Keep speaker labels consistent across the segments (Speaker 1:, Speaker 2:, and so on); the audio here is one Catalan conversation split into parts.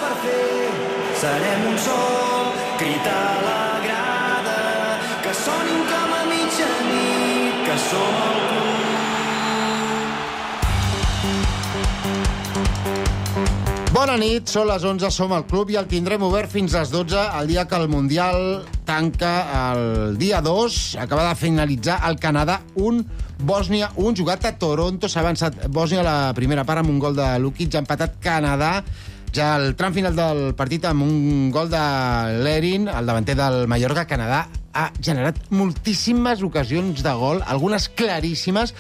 Speaker 1: per fer. Serem un sol, crit a la grada, que sonin com a mitjanit, que som el club.
Speaker 2: Bona nit, són les 11, som al club i el tindrem obert fins a les 12, el dia que el Mundial tanca el dia 2. Acaba de finalitzar el Canadà 1, Bòsnia 1, jugat a Toronto. S'ha avançat Bòsnia a la primera part amb un gol de Lukic, ha empatat Canadà ja al tram final del partit amb un gol de Lerin, el davanter del Mallorca. Canadà ha generat moltíssimes ocasions de gol, algunes claríssimes,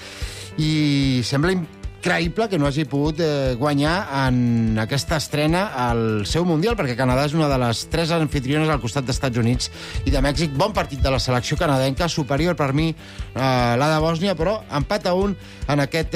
Speaker 2: i sembla increïble que no hagi pogut guanyar en aquesta estrena al seu Mundial, perquè Canadà és una de les 3 anfitriones al costat d'Estats Units i de Mèxic. Bon partit de la selecció canadenca, superior per mi la de Bòsnia, però empat a 1 en aquest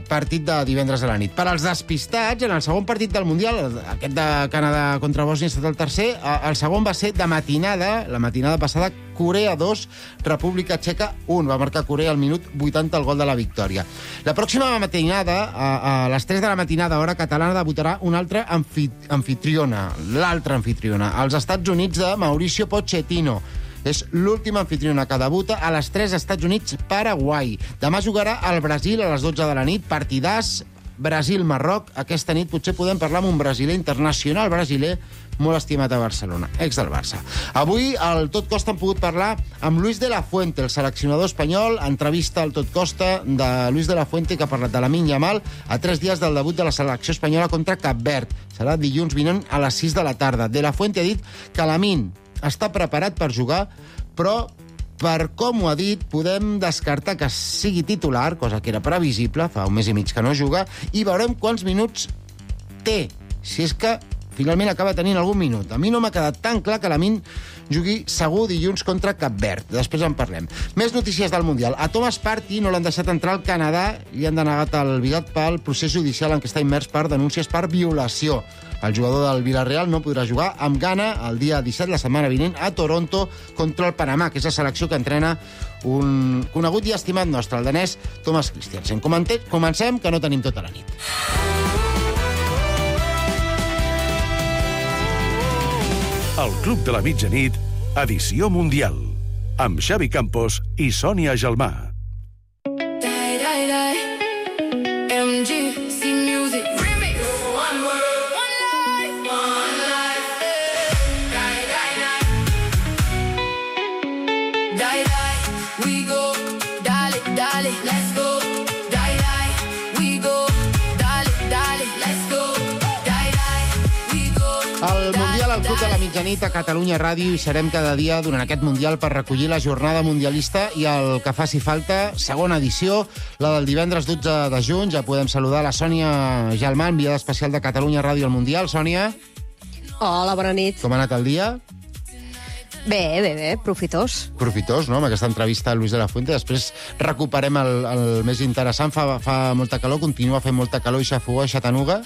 Speaker 2: partit de divendres a la nit. Per als despistats, en el segon partit del Mundial, aquest de Canadà contra Bòsnia ha estat el tercer, el segon va ser de matinada, la matinada passada, Corea 2, República Txeca 1. Va marcar Corea al minut 80 el gol de la victòria. La pròxima matinada, a les 3 de la matinada, hora catalana, debutarà una altra anfitriona, l'altra anfitriona, als Estats Units de Mauricio Pochettino. És l'última anfitriona que debuta a les 3, Estats Units, Paraguai. Demà jugarà al Brasil a les 12 de la nit, partidàs Brasil-Marroc. Aquesta nit potser podem parlar amb un brasiler internacional brasiler molt estimat a Barcelona, ex del Barça. Avui al Tot Costa hem pogut parlar amb Luis de la Fuente, el seleccionador espanyol. Entrevista al Tot Costa de Luis de la Fuente, que ha parlat de Lamine Yamal a 3 dies del debut de la selecció espanyola contra Cap Verd. Serà dilluns vinent a les 6 de la tarda. De la Fuente ha dit que Lamine està preparat per jugar, però per com ho ha dit, podem descartar que sigui titular, cosa que era previsible, fa un mes i mig que no juga, i veurem quants minuts té, si és que finalment acaba tenint algun minut. A mi no m'ha quedat tan clar que Lamine jugui segur dilluns contra Cap Verd. Després en parlem. Més notícies del Mundial. A Thomas Partey no l'han deixat entrar al Canadà, li han denegat el bigat pel procés judicial en què està immers per denúncies per violació. El jugador del Villarreal no podrà jugar amb Ghana el dia 17, la setmana vinent, a Toronto contra el Panamà, que és la selecció que entrena un conegut i estimat nostre, el danès Thomas Christiansen. Comencem, que no tenim tota la nit.
Speaker 3: El Club de la Mitjanit, edició mundial, amb Xavi Campos i Sònia Gelmà.
Speaker 2: El Mundial al Club de la Mitjanit a Catalunya Ràdio, i serem cada dia durant aquest Mundial per recollir la jornada mundialista i el que faci falta. Segona edició, la del divendres 12 de juny. Ja podem saludar la Sònia Gelmà, enviada especial de Catalunya Ràdio al Mundial. Sònia.
Speaker 4: Hola, bona nit.
Speaker 2: Com ha anat el dia?
Speaker 4: Bé, profitós.
Speaker 2: Profitós, no?, amb aquesta entrevista a Luis de la Fuente. Després recuperem el més interessant. Fa molta calor, continua fent molta calor i xafogó a Chattanooga.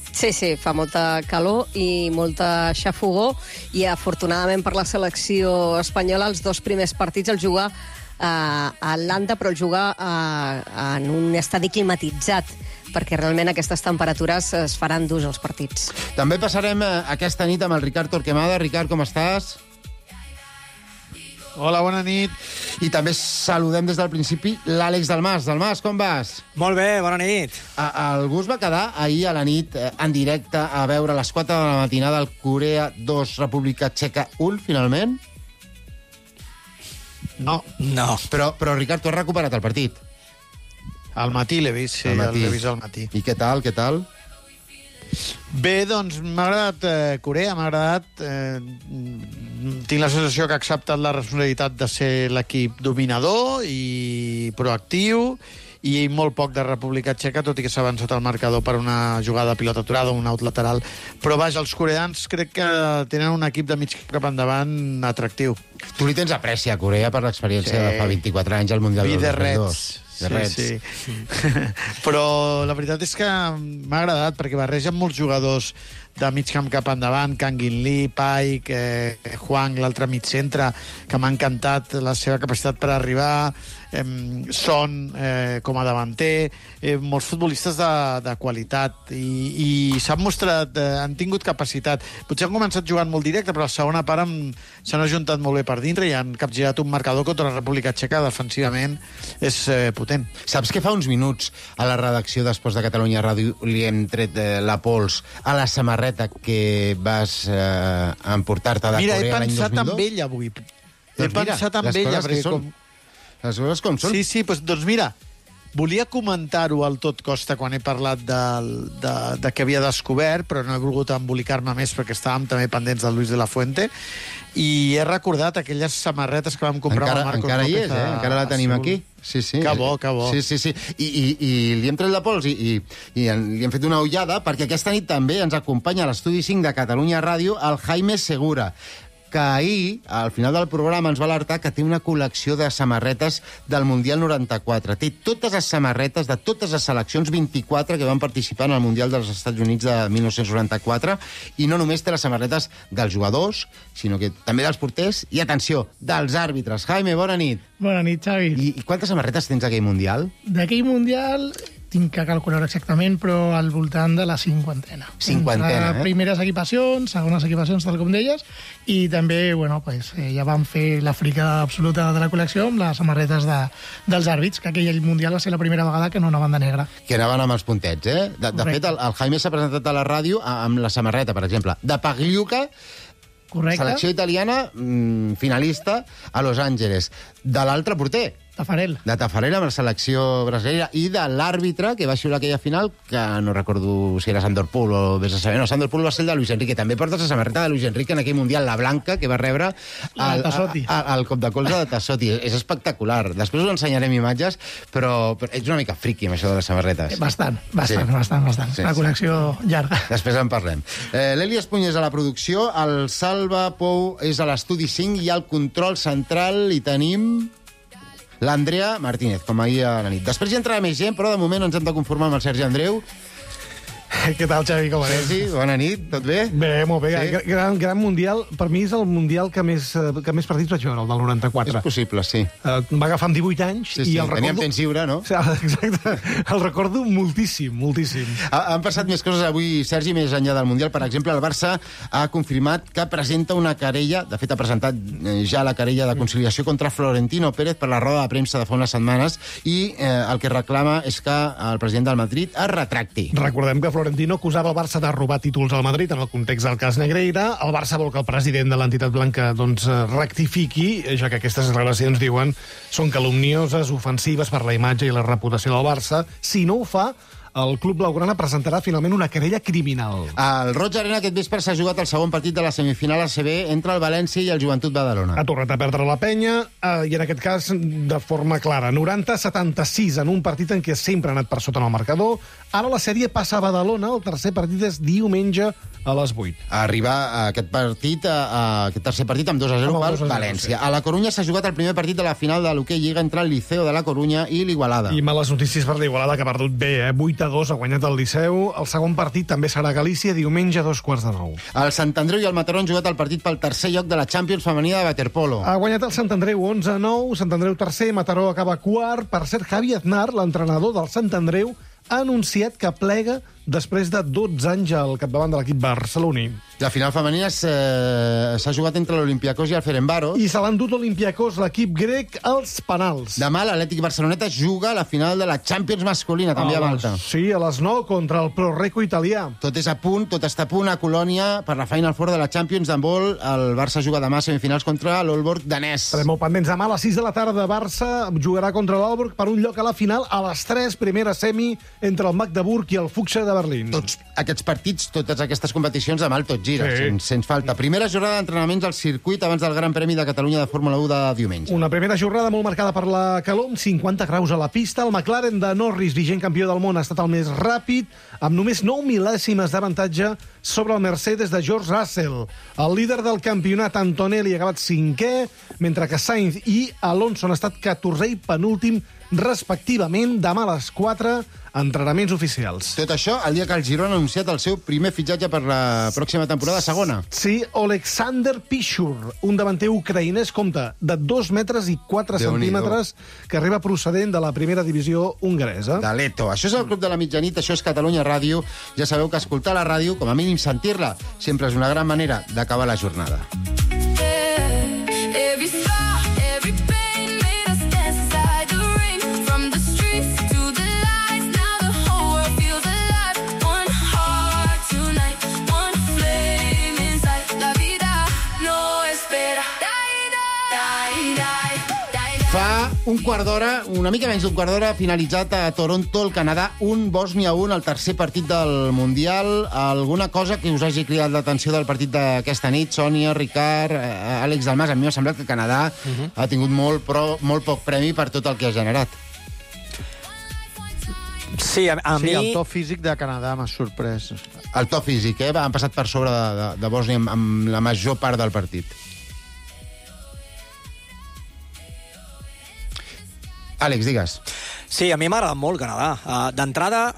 Speaker 4: Sí, fa molta calor i molta xafogó, i afortunadament per la selecció espanyola els 2 primers partits el juga a Atlanta, però el juga en un estadi climatitzat, perquè realment aquestes temperatures es faran durs els partits.
Speaker 2: També passarem aquesta nit amb el Ricard Torquemada. Ricard, com estàs?
Speaker 5: Hola, bona nit.
Speaker 2: I també saludem des del principi l'Àlex Dalmas. Dalmas, com vas?
Speaker 6: Molt bé, bona nit.
Speaker 2: Algú es va quedar ahir a la nit en directe a veure a les 4 de la matinada el Corea 2, República Txeca 1, finalment?
Speaker 5: No.
Speaker 2: Però Ricard, tu has recuperat el partit?
Speaker 5: Al matí l'he vist, sí, l'he vist al matí.
Speaker 2: I què tal?
Speaker 5: Bé, doncs m'ha agradat Corea, m'ha agradat... Tinc la sensació que ha acceptat la responsabilitat de ser l'equip dominador i proactiu, i molt poc de República Txeca, tot i que s'ha avançat el marcador per una jugada de pilota aturada, un out lateral. Però vaja, els coreans crec que tenen un equip de mig cap endavant atractiu.
Speaker 2: Tu li tens apreci a Corea per l'experiència de fa 24 anys al Mundial del 2002. Sí.
Speaker 5: Però la veritat és que m'ha agradat, perquè barregen molts jugadors de mig camp cap endavant, Kangin Lee, Paik, Huang, l'altre mig centre, que m'ha encantat la seva capacitat per arribar, Son com a davanter, molts futbolistes de qualitat i s'han mostrat, han tingut capacitat. Potser han començat jugant molt directe, però a la segona part s'han ajuntat molt bé per dintre i han capgirat un marcador contra la República Txeca. Defensivament és potent.
Speaker 2: Saps que fa uns minuts a la redacció d'Esports de Catalunya Ràdio li hem tret la pols a la samarreta que vas emportar-te de Corea l'any 2002?
Speaker 5: Mira, he pensat en ell avui. He pensat en ella, perquè
Speaker 2: les coses com són.
Speaker 5: Sí, doncs mira, volia comentar-ho al tot costa quan he parlat de que havia descobert, però no he volgut embolicar-me més perquè estàvem també pendents del Luis de la Fuente, i he recordat aquelles samarretes que vam comprar amb Marcos López.
Speaker 2: Encara hi és, encara la tenim aquí. Sí.
Speaker 5: Que bo, que bo.
Speaker 2: Sí. I li hem tret la pols i li hem fet una ullada perquè aquesta nit també ens acompanya a l'Estudi 5 de Catalunya Ràdio el Jaime Segura, que ahir, al final del programa, ens va alertar que té una col·lecció de samarretes del Mundial 94. Té totes les samarretes de totes les seleccions 24 que van participar en el Mundial dels Estats Units de 1994, i no només té les samarretes dels jugadors, sinó que també dels porters i, atenció, dels àrbitres. Jaime, bona nit.
Speaker 6: Bona nit, Xavi.
Speaker 2: I quantes samarretes tens d'aquell Mundial?
Speaker 6: D'aquell Mundial tinc que calcular exactament, però al voltant de la cinquantena.
Speaker 2: Cinquantena,
Speaker 6: Primeres equipacions, segones equipacions, tal com deies, i també, ja vam fer la fricada absoluta de la col·lecció amb les samarretes dels àrbits, que aquell Mundial va ser la primera vegada que no anaven de negre.
Speaker 2: Que anaven amb els puntets, eh? De fet, el Jaime s'ha presentat a la ràdio amb la samarreta, per exemple, de Pagliuca,
Speaker 6: correcte.
Speaker 2: Selecció italiana, finalista a Los Angeles. De l'altre porter,
Speaker 6: Tafarel.
Speaker 2: De Tafarel amb la selecció brasilera, i de l'àrbitre que va xiular aquella final, que no recordo si era Sandor Pool o vés a saber. No, Sandor Pool va ser el de Luis Enrique. També portes la samarreta de Luis Enrique en aquell Mundial, la blanca, que va rebre el cop de colze de Tassotti. És espectacular. Després us ensenyarem imatges, però ets una mica friqui amb això de les samarretes.
Speaker 6: Bastant.
Speaker 2: Sí,
Speaker 6: la col·lecció llarga.
Speaker 2: Després en parlem. L'Eli Espuny és a la producció, el Salva Pou és a l'Estudi 5 i al control central hi tenim l'Andrea Martínez, com ahir a la nit. Després ja entrarà més gent, però de moment ens hem de conformar amb el Sergi Andreu.
Speaker 7: Què tal, Xavi, com anem?
Speaker 2: Sergi, bona nit, tot bé?
Speaker 7: Bé, molt bé.
Speaker 2: Sí?
Speaker 7: Gran mundial. Per mi és el mundial que més partits vaig veure, el del 94.
Speaker 2: És possible, sí.
Speaker 7: Va agafar amb 18 anys i el recordo...
Speaker 2: Teníem temps lliure, no?
Speaker 7: Exacte. El recordo moltíssim.
Speaker 2: Han passat més coses avui, Sergi, més enllà del mundial. Per exemple, el Barça ha confirmat que presenta una querella, de fet ha presentat ja la querella de conciliació contra Florentino Pérez per la roda de premsa de fa unes setmanes, i el que reclama és que el president del Madrid es retracti.
Speaker 7: Recordem que Florentino acusava el Barça de robar títols al Madrid en el context del cas Negreira. El Barça vol que el president de l'entitat blanca rectifiqui, ja que aquestes declaracions, diuen, són calumnioses, ofensives per la imatge i la reputació del Barça. Si no ho fa, el club blaugrana presentarà finalment una querella criminal.
Speaker 2: Al Roig Arena aquest vespre s'ha jugat el segon partit de la semifinal ACB entre el València i el Joventut Badalona.
Speaker 7: Ha tornat a perdre la penya, i en aquest cas de forma clara. 90-76 en un partit en què sempre ha anat per sota en el marcador. Ara la sèrie passa a Badalona, el tercer partit és diumenge a les 8.
Speaker 2: Arriba a aquest tercer partit amb 2-0 pel València.
Speaker 7: Sí.
Speaker 2: A la Corunya s'ha jugat el primer partit de la final de l'Hockey Lliga entre el Liceo de la Corunya i l'Igualada.
Speaker 7: I males notícies per l'Igualada, que ha perdut bé, 8-2 ha guanyat el Liceu. El segon partit també serà a Galícia, diumenge a 2:45.
Speaker 2: El Sant Andreu i el Mataró han jugat el partit pel tercer lloc de la Champions femenina de waterpolo.
Speaker 7: Ha guanyat el Sant Andreu 11-9, Sant Andreu tercer, Mataró acaba quart. Per cert, Javi Aznar, l'entrenador del Sant Andreu, ha anunciat que plega després de 12 anys al capdavant de l'equip barceloní.
Speaker 2: La final femenina s'ha jugat entre l'Olympiacos i el Ferencváros.
Speaker 7: I se l'han dut l'Olympiacos, l'equip grec, als penals.
Speaker 2: Demà l'Atlètic Barceloneta juga a la final de la Champions masculina, també a Malta.
Speaker 7: Sí, a les 9 contra el Proreco italià.
Speaker 2: Tot està a punt a Colònia per la Final Four de la Champions d'handbol. El Barça juga demà a semifinals contra l'Aalborg danès.
Speaker 7: Estarem molt pendents. Demà a les 6 de la tarda, Barça jugarà contra l'Aalborg per un lloc a la final. A les 3, primera semi entre el Magdeburg i el Fuchs de Berlín.
Speaker 2: Tots aquests partits, totes aquestes competicions, demà el tot gira,
Speaker 7: sí.
Speaker 2: Sens falta. Primera jornada d'entrenaments al circuit abans del Gran Premi de Catalunya de Fórmula 1 de diumenge.
Speaker 7: Una primera jornada molt marcada per la calor, amb 50 graus a la pista. El McLaren de Norris, vigent campió del món, ha estat el més ràpid, amb només 9 mil·lèsimes d'avantatge sobre el Mercedes de George Russell. El líder del campionat, Antonelli, ha acabat 5è, mentre que Sainz i Alonso han estat 14è i penúltim respectivament. Demà a les 4, entrenaments oficials.
Speaker 2: Tot això el dia que el Girona ha anunciat el seu primer fitxatge per la pròxima temporada segona.
Speaker 7: Sí, Oleksandr Pishur, un davanter ucraïnès, compta, de 2 metres i 4 centímetres, que arriba procedent de la primera divisió hongaresa.
Speaker 2: De l'Eto. Això és el Club de la Mitjanit, això és Catalunya Ràdio. Ja sabeu que escoltar la ràdio, com a mínim sentir-la, sempre és una gran manera d'acabar la jornada. Fa un quart d'hora, una mica menys d'un quart d'hora, finalitzat a Toronto, el Canadà, 1, Bòsnia 1, el tercer partit del Mundial. Alguna cosa que us hagi cridat l'atenció del partit d'aquesta nit? Sònia, Ricard, Àlex Dalmas, a mi m'ha semblat que Canadà ha tingut molt poc premi per tot el que ha generat.
Speaker 8: Sí, a mi...
Speaker 5: el to físic de Canadà m'ha sorprès.
Speaker 2: El to físic, han passat per sobre de Bòsnia amb la major part del partit. Àlex, digues.
Speaker 8: Sí, a mi m'ha agradat molt Canadà. D'entrada,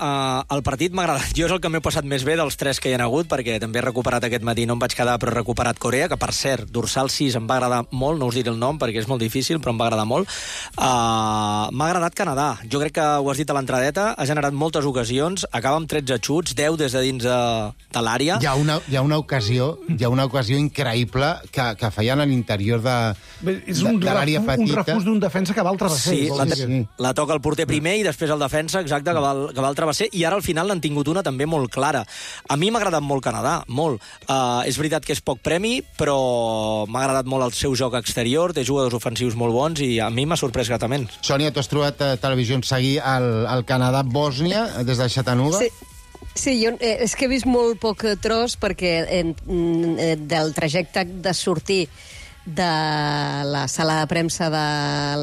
Speaker 8: el partit m'ha agradat. Jo és el que m'he passat més bé dels 3 que hi ha hagut, perquè també he recuperat aquest matí, no em vaig quedar, però he recuperat Corea, que per cert, dorsal 6 em va agradar molt, no us diré el nom perquè és molt difícil, però em va agradar molt. M'ha agradat Canadà. Jo crec que ho has dit a l'entradeta, ha generat moltes ocasions, acaba amb 13 xuts, 10 des de dins de l'àrea.
Speaker 2: Hi ha una ocasió increïble que feien a l'interior de l'àrea petita.
Speaker 7: Un refús d'un defensa que va al travesser.
Speaker 8: Sí, la toca el porter primer i després el defensa, exacte, que va al travesser, i ara al final n'han tingut una també molt clara. A mi m'ha agradat molt Canadà, molt. És veritat que és poc premi, però m'ha agradat molt el seu joc exterior, té jugadors ofensius molt bons i a mi m'ha sorprès gratament.
Speaker 2: Sònia, tu has trobat televisió seguir el Canadà-Bòsnia des de Chattanooga?
Speaker 4: Sí, jo és que he vist molt poc tros perquè del trajecte de sortir de la sala de premsa de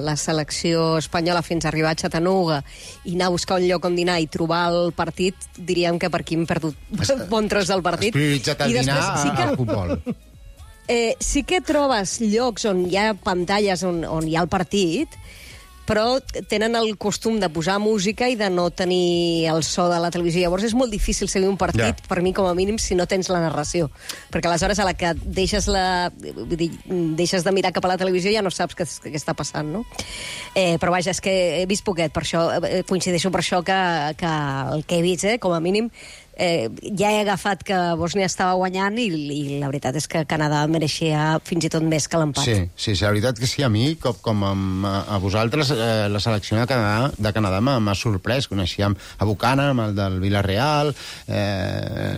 Speaker 4: la selecció espanyola fins a arribar a Chattanooga i anar a buscar un lloc on dinar i trobar el partit, diríem que per aquí hem perdut bon tros del partit.
Speaker 2: Has prioritzat el dinar al futbol.
Speaker 4: Sí que trobes llocs on hi ha pantalles on hi ha el partit, però tenen el costum de posar música i de no tenir el so de la televisió. Llavors és molt difícil seguir un partit, per mi com a mínim, si no tens la narració. Perquè aleshores a la que deixes de mirar cap a la televisió ja no saps què està passant, no? Però vaja, és que he vist poquet, per això coincideixo per això que el que he vist, com a mínim, ja he agafat que Bòsnia estava guanyant i la veritat és que Canadà mereixia fins i tot més que l'empat.
Speaker 2: Sí, la veritat que sí, a mi, com a vosaltres, la selecció de Canadà m'ha sorprès. Coneixíem a Buchanan, el del Villarreal,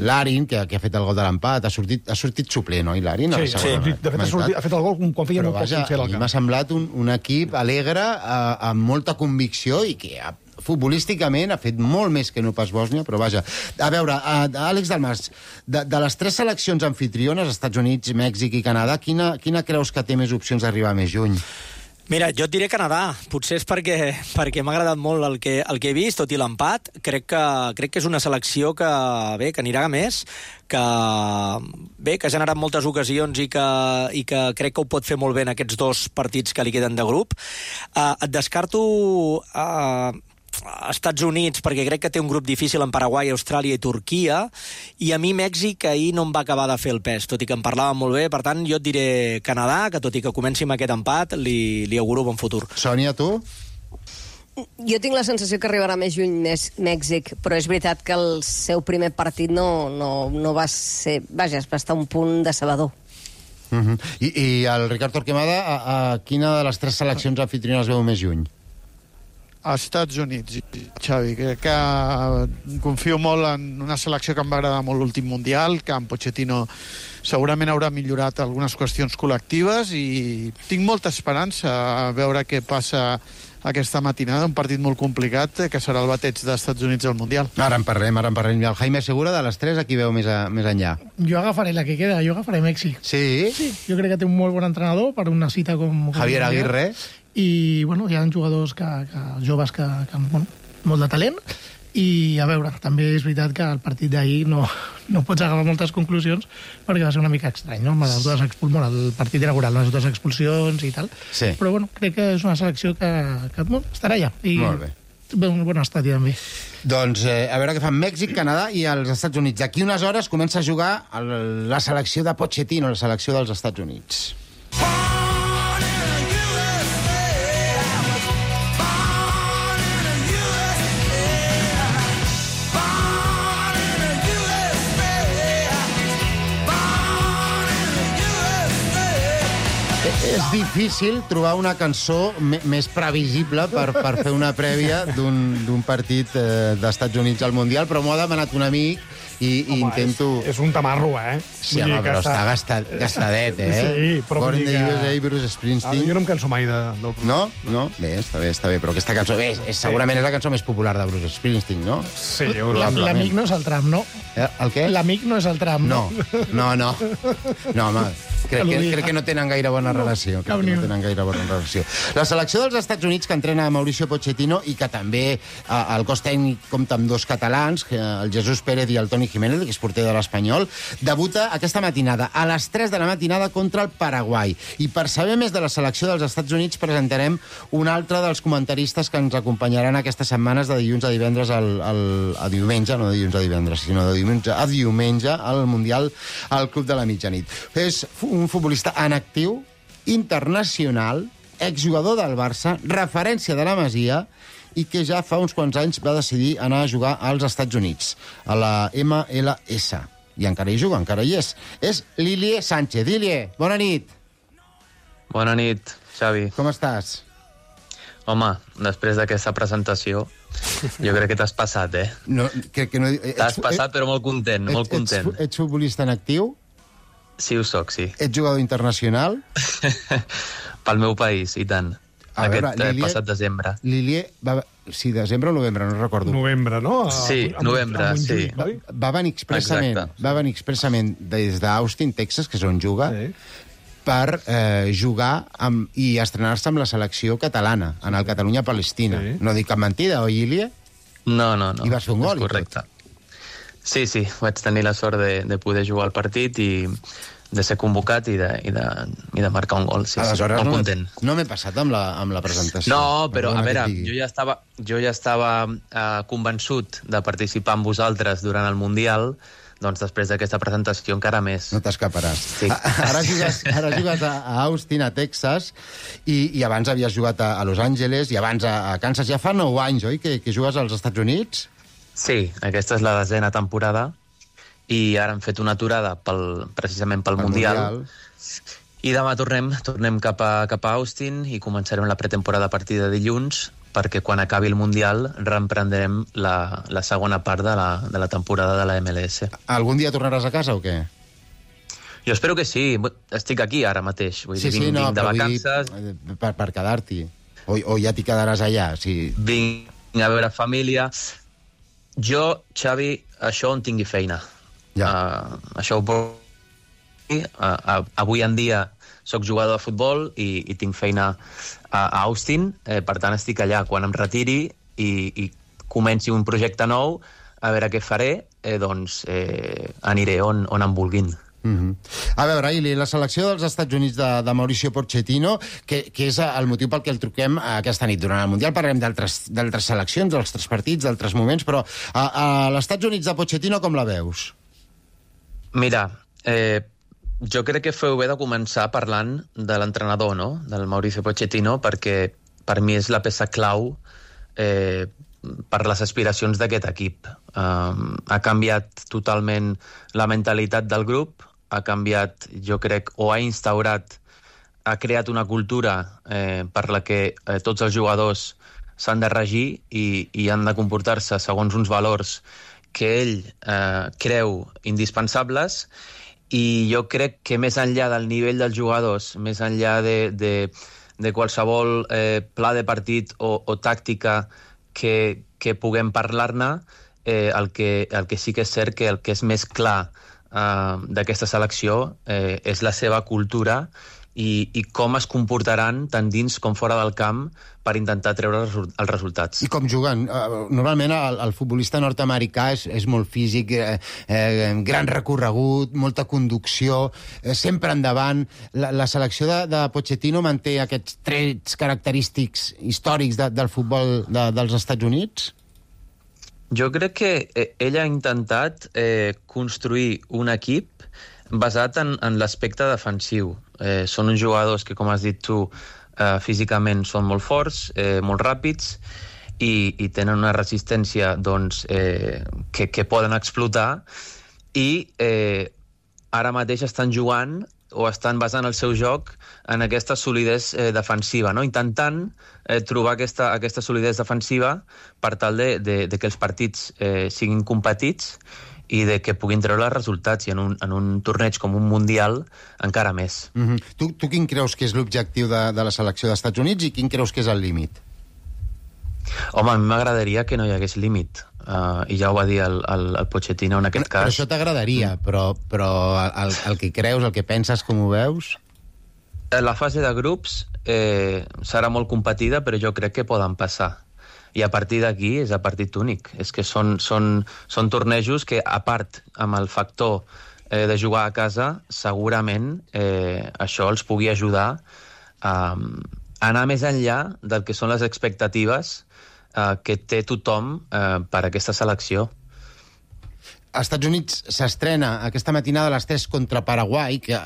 Speaker 2: l'Arin, que ha fet el gol de l'empat, ha sortit suplent, oi, l'Arin?
Speaker 7: Sí, de fet ha fet el gol quan feia molt poc temps al camp.
Speaker 2: M'ha semblat un equip alegre, amb molta convicció i que futbolísticament ha fet molt més que no pas Bòsnia, però vaja. A veure, Àlex Dalmas, de les 3 seleccions anfitriones, Estats Units, Mèxic i Canadà, quina creus que té més opcions d'arribar més lluny?
Speaker 8: Mira, jo et diré Canadà. Potser és perquè m'ha agradat molt el que he vist, tot i l'empat. Crec que és una selecció que anirà a més, que ha generat moltes ocasions i que crec que ho pot fer molt bé en aquests 2 partits que li queden de grup. Et descarto Estats Units, perquè crec que té un grup difícil en Paraguai, Austràlia i Turquia, i a mi Mèxic ahir no em va acabar de fer el pes, tot i que em parlava molt bé. Per tant, jo et diré Canadà, que tot i que comenci amb aquest empat, li auguro bon futur.
Speaker 2: Sònia, tu?
Speaker 4: Jo tinc la sensació que arribarà més lluny Mèxic, però és veritat que el seu primer partit no va ser... Vaja, va estar un punt decebedor.
Speaker 2: I el Ricard Torquemada, a quina de les 3 seleccions anfitriones veu més lluny?
Speaker 5: Als Estats Units, Xavi. Crec que confio molt en una selecció que em va agradar molt l'últim Mundial, que en Pochettino segurament haurà millorat algunes qüestions col·lectives i tinc molta esperança a veure què passa aquesta matinada, un partit molt complicat, que serà el bateig dels Estats Units al Mundial.
Speaker 2: Ara en parlem. El Jaime Segura, de les 3, a qui veu més enllà?
Speaker 6: Jo agafaré la que queda, jo agafaré Mèxic.
Speaker 2: Sí?
Speaker 6: Sí, jo crec que té un molt bon entrenador per una cita com
Speaker 2: Javier Aguirre.
Speaker 6: I, bueno, hi ha jugadors joves que molt de talent I, a veure, també és veritat que el partit d'ahir no pots agafar moltes conclusions perquè va ser una mica estrany, no? El partit inaugural, les dues expulsions i tal.
Speaker 2: Sí.
Speaker 6: Però, bueno, crec que és una selecció que estarà allà. I
Speaker 2: molt bé.
Speaker 6: Un bon estadi, també.
Speaker 2: Doncs a veure què fan Mèxic, Canadà i els Estats Units. D'aquí unes hores comença a jugar la selecció de Pochettino, la selecció dels Estats Units. És difícil trobar una cançó més previsible per fer una prèvia d'un partit d'Estats Units al Mundial, però m'ho ha demanat un amic i intento...
Speaker 7: És un tamarro,
Speaker 2: Sí, home, però està gastadet,
Speaker 7: Sí, però
Speaker 2: Born in the USA, Bruce Springsteen.
Speaker 7: Jo no em canso mai del...
Speaker 2: No? Bé, està bé, però aquesta cançó... segurament és la cançó més popular de Bruce Springsteen, no?
Speaker 7: Sí,
Speaker 6: L'amic no és el tram, no?
Speaker 2: El què?
Speaker 6: L'amic no és el tram, no?
Speaker 2: No, home, crec que no tenen gaire bona relació. La selecció dels Estats Units, que entrena Mauricio Pochettino i que també el cos tècnic compta amb dos catalans, el Jesús Pérez i el Toni Jiménez, que és porter de l'Espanyol, debuta aquesta matinada a les 3 de la matinada contra el Paraguai. I per saber més de la selecció dels Estats Units presentarem un altre dels comentaristes que ens acompanyaran aquestes setmanes de dilluns a divendres a diumenge, no de dilluns a divendres, sinó de diumenge a diumenge al Mundial al Club de la Mitjanit. És un futbolista en actiu, internacional, exjugador del Barça, referència de la Masia, i que ja fa uns quants anys va decidir anar a jugar als Estats Units, a la MLS. I encara hi juga, encara hi és. És Lilie Sánchez. Lilie, bona nit.
Speaker 9: Bona nit, Xavi.
Speaker 2: Com estàs?
Speaker 9: Home, després d'aquesta presentació, jo crec que t'has passat,
Speaker 2: No, crec que no...
Speaker 9: T'has passat, però molt content, molt content.
Speaker 2: Ets futbolista en actiu?
Speaker 9: Sí, ho soc, sí.
Speaker 2: Ets jugador internacional?
Speaker 9: Pel meu país, i tant. Passat desembre.
Speaker 2: Lilie, sí, desembre o novembre, no recordo.
Speaker 7: Novembre, no?
Speaker 9: Sí, novembre, sí.
Speaker 2: Va venir expressament des d'Austin, Texas, que és on juga, per jugar i estrenar-se amb la selecció catalana, en el Catalunya-Palestina. No dic cap mentida, oi, Lilie?
Speaker 9: No.
Speaker 2: I vas fer un gol.
Speaker 9: Correcte. Sí, vaig tenir la sort de poder jugar al partit i de ser convocat i de marcar un gol. Sí,
Speaker 2: aleshores,
Speaker 9: molt content.
Speaker 2: No m'he passat amb la presentació.
Speaker 9: No, però a veure, jo ja estava convençut de participar amb vosaltres durant el Mundial, doncs després d'aquesta presentació encara més.
Speaker 2: No t'escaparàs.
Speaker 9: Sí.
Speaker 2: Ara jugues a Austin, a Texas, i abans havies jugat a Los Angeles, i abans a Kansas. Ja fa 9 anys, oi, que jugues als Estats Units?
Speaker 9: Sí, aquesta és la 10ª temporada, i ara hem fet una aturada precisament pel Mundial. I demà tornem cap a Austin i començarem la pretemporada a partir de dilluns, perquè quan acabi el Mundial reemprendrem la segona part de la temporada de la MLS.
Speaker 2: Algun dia tornaràs a casa o què?
Speaker 9: Jo espero que sí. Estic aquí ara mateix. Vinc de vacances.
Speaker 2: Per quedar-t'hi. O ja t'hi quedaràs allà? Sí.
Speaker 9: Vinc a veure família. Jo, Xavi, això on tingui feina. Això ho puc... Avui en dia soc jugador de futbol i tinc feina a Austin, per tant estic allà. Quan em retiri i comenci un projecte nou, a veure què faré, doncs aniré on em vulguin.
Speaker 2: A veure, Ili, la selecció dels Estats Units de Mauricio Pochettino, que és el motiu pel que el truquem aquesta nit. Durant el Mundial parlarem d'altres seleccions, d'altres partits, d'altres moments, però a l'Estats Units de Pochettino com la veus?
Speaker 9: Mira, jo crec que feu bé de començar parlant de l'entrenador, no?, del Mauricio Pochettino, perquè per mi és la peça clau per les aspiracions d'aquest equip. Ha canviat totalment la mentalitat del grup, ha canviat, jo crec, o ha instaurat, ha creat una cultura per la que tots els jugadors s'han de regir i han de comportar-se segons uns valors que ell creu indispensables, i jo crec que més enllà del nivell dels jugadors, més enllà de qualsevol pla de partit o tàctica que puguem parlar-ne, el que sí que és cert que el que és més clar d'aquesta selecció és la seva cultura i com es comportaran tant dins com fora del camp per intentar treure els resultats.
Speaker 2: I com juguen? Normalment el futbolista nord-americà és molt físic, gran recorregut, molta conducció, sempre endavant. La selecció de Pochettino manté aquests trets característics històrics del futbol dels Estats Units?
Speaker 9: Jo crec que ell ha intentat construir un equip basat en l'aspecte defensiu. Són uns jugadors que, com has dit tu, físicament són molt forts, molt ràpids, i tenen una resistència doncs, que poden explotar, i ara mateix estan jugant o estan basant el seu joc en aquesta solidesa defensiva, no? Intentant trobar aquesta solidesa defensiva per tal de que els partits siguin competits i de que puguin treure els resultats, i en un torneig com un Mundial encara més.
Speaker 2: Tu quin creus que és l'objectiu de la selecció dels Estats Units i quin creus que és el límit?
Speaker 9: Home, a mi m'agradaria que no hi hagués límit, i ja ho va dir el Pochettino en aquest cas.
Speaker 2: Però això t'agradaria, però el que creus, el que penses, com ho veus?
Speaker 9: La fase de grups serà molt competida, però jo crec que poden passar. I a partir d'aquí és a partit únic. És que són tornejos que, a part, amb el factor de jugar a casa, segurament això els pugui ajudar a anar més enllà del que són les expectatives que té tothom per aquesta selecció.
Speaker 2: Als Estats Units s'estrena aquesta matinada a les 3 contra Paraguai, que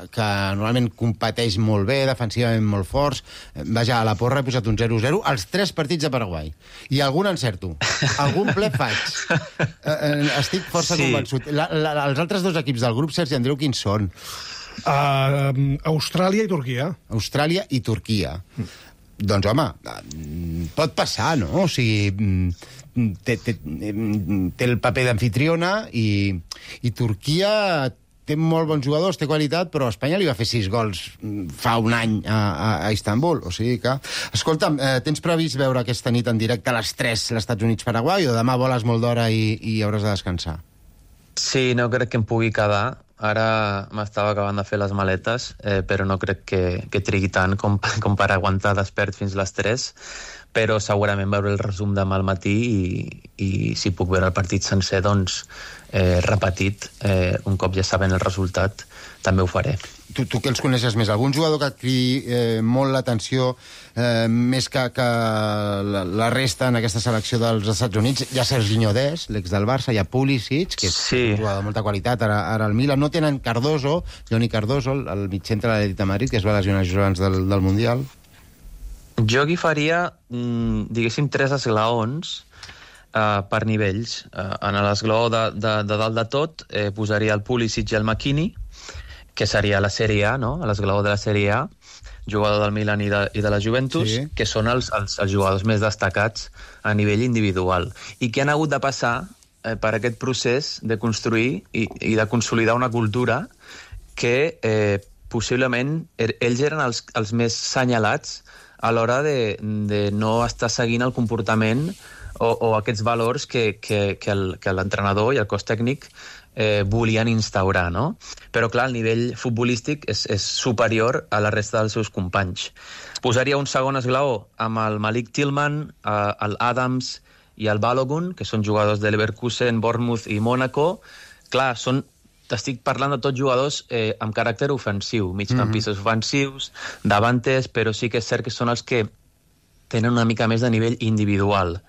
Speaker 2: normalment competeix molt bé, defensivament molt forts. Vaja, a la porra he posat un 0-0 als 3 partits de Paraguai. I algun encerto. Algun ple faig. Estic força convençut. Els altres dos equips del grup, Sergi Andreu, quins són?
Speaker 7: Austràlia i Turquia.
Speaker 2: Austràlia i Turquia. Doncs, home, pot passar, no? O sigui, té el paper d'anfitriona i Turquia té molt bons jugadors, té qualitat, però Espanya li va fer 6 gols fa un any a Istanbul. O sigui que... Escolta'm, tens previst veure aquesta nit en directe a les 3 l'Estats Units-Paraguai o demà voles molt d'hora i hauràs de descansar?
Speaker 9: Sí, no crec que em pugui quedar. Ara m'estava acabant de fer les maletes, però no crec que trigui tant com per aguantar despert fins les 3, però segurament veure el resum demà al matí i si puc veure el partit sencer, doncs repetit, un cop ja sabent el resultat, també ho faré.
Speaker 2: Tu que els coneixes més, algun jugador que et cridi molt l'atenció, més que la resta en aquesta selecció dels Estats Units? Hi ha Serginho Dest, l'ex del Barça, hi ha Pulisic, que és un jugador de molta qualitat, ara al Milan. No tenen Cardoso, Johnny Cardoso, el mitjcentre de l'Atlètic de Madrid, que es va lesionar just abans del Mundial.
Speaker 9: Jo aquí faria, diguéssim, 3 esglaons per nivells. En l'esglaó de dalt de tot posaria el Pulisic i el McKennie, que seria la Sèrie A, no? L'esglaó de la Sèrie A, jugador del Milan i de la Juventus, sí, que són els jugadors més destacats a nivell individual, i que han hagut de passar per aquest procés de construir i de consolidar una cultura que possiblement ells eren els més senyalats a l'hora de no estar seguint el comportament o aquests valors que l'entrenador i el cos tècnic volien instaurar, no? Però, clar, el nivell futbolístic és superior a la resta dels seus companys. Posaria un segon esglaó amb el Malik Tillman, el Adams i el Balogun, que són jugadors de Leverkusen, Bournemouth i Mónaco. Clar, t'estic parlant de tots jugadors amb caràcter ofensiu, migcampistes ofensius, davantes, però sí que és cert que són els que tenen una mica més de nivell individual.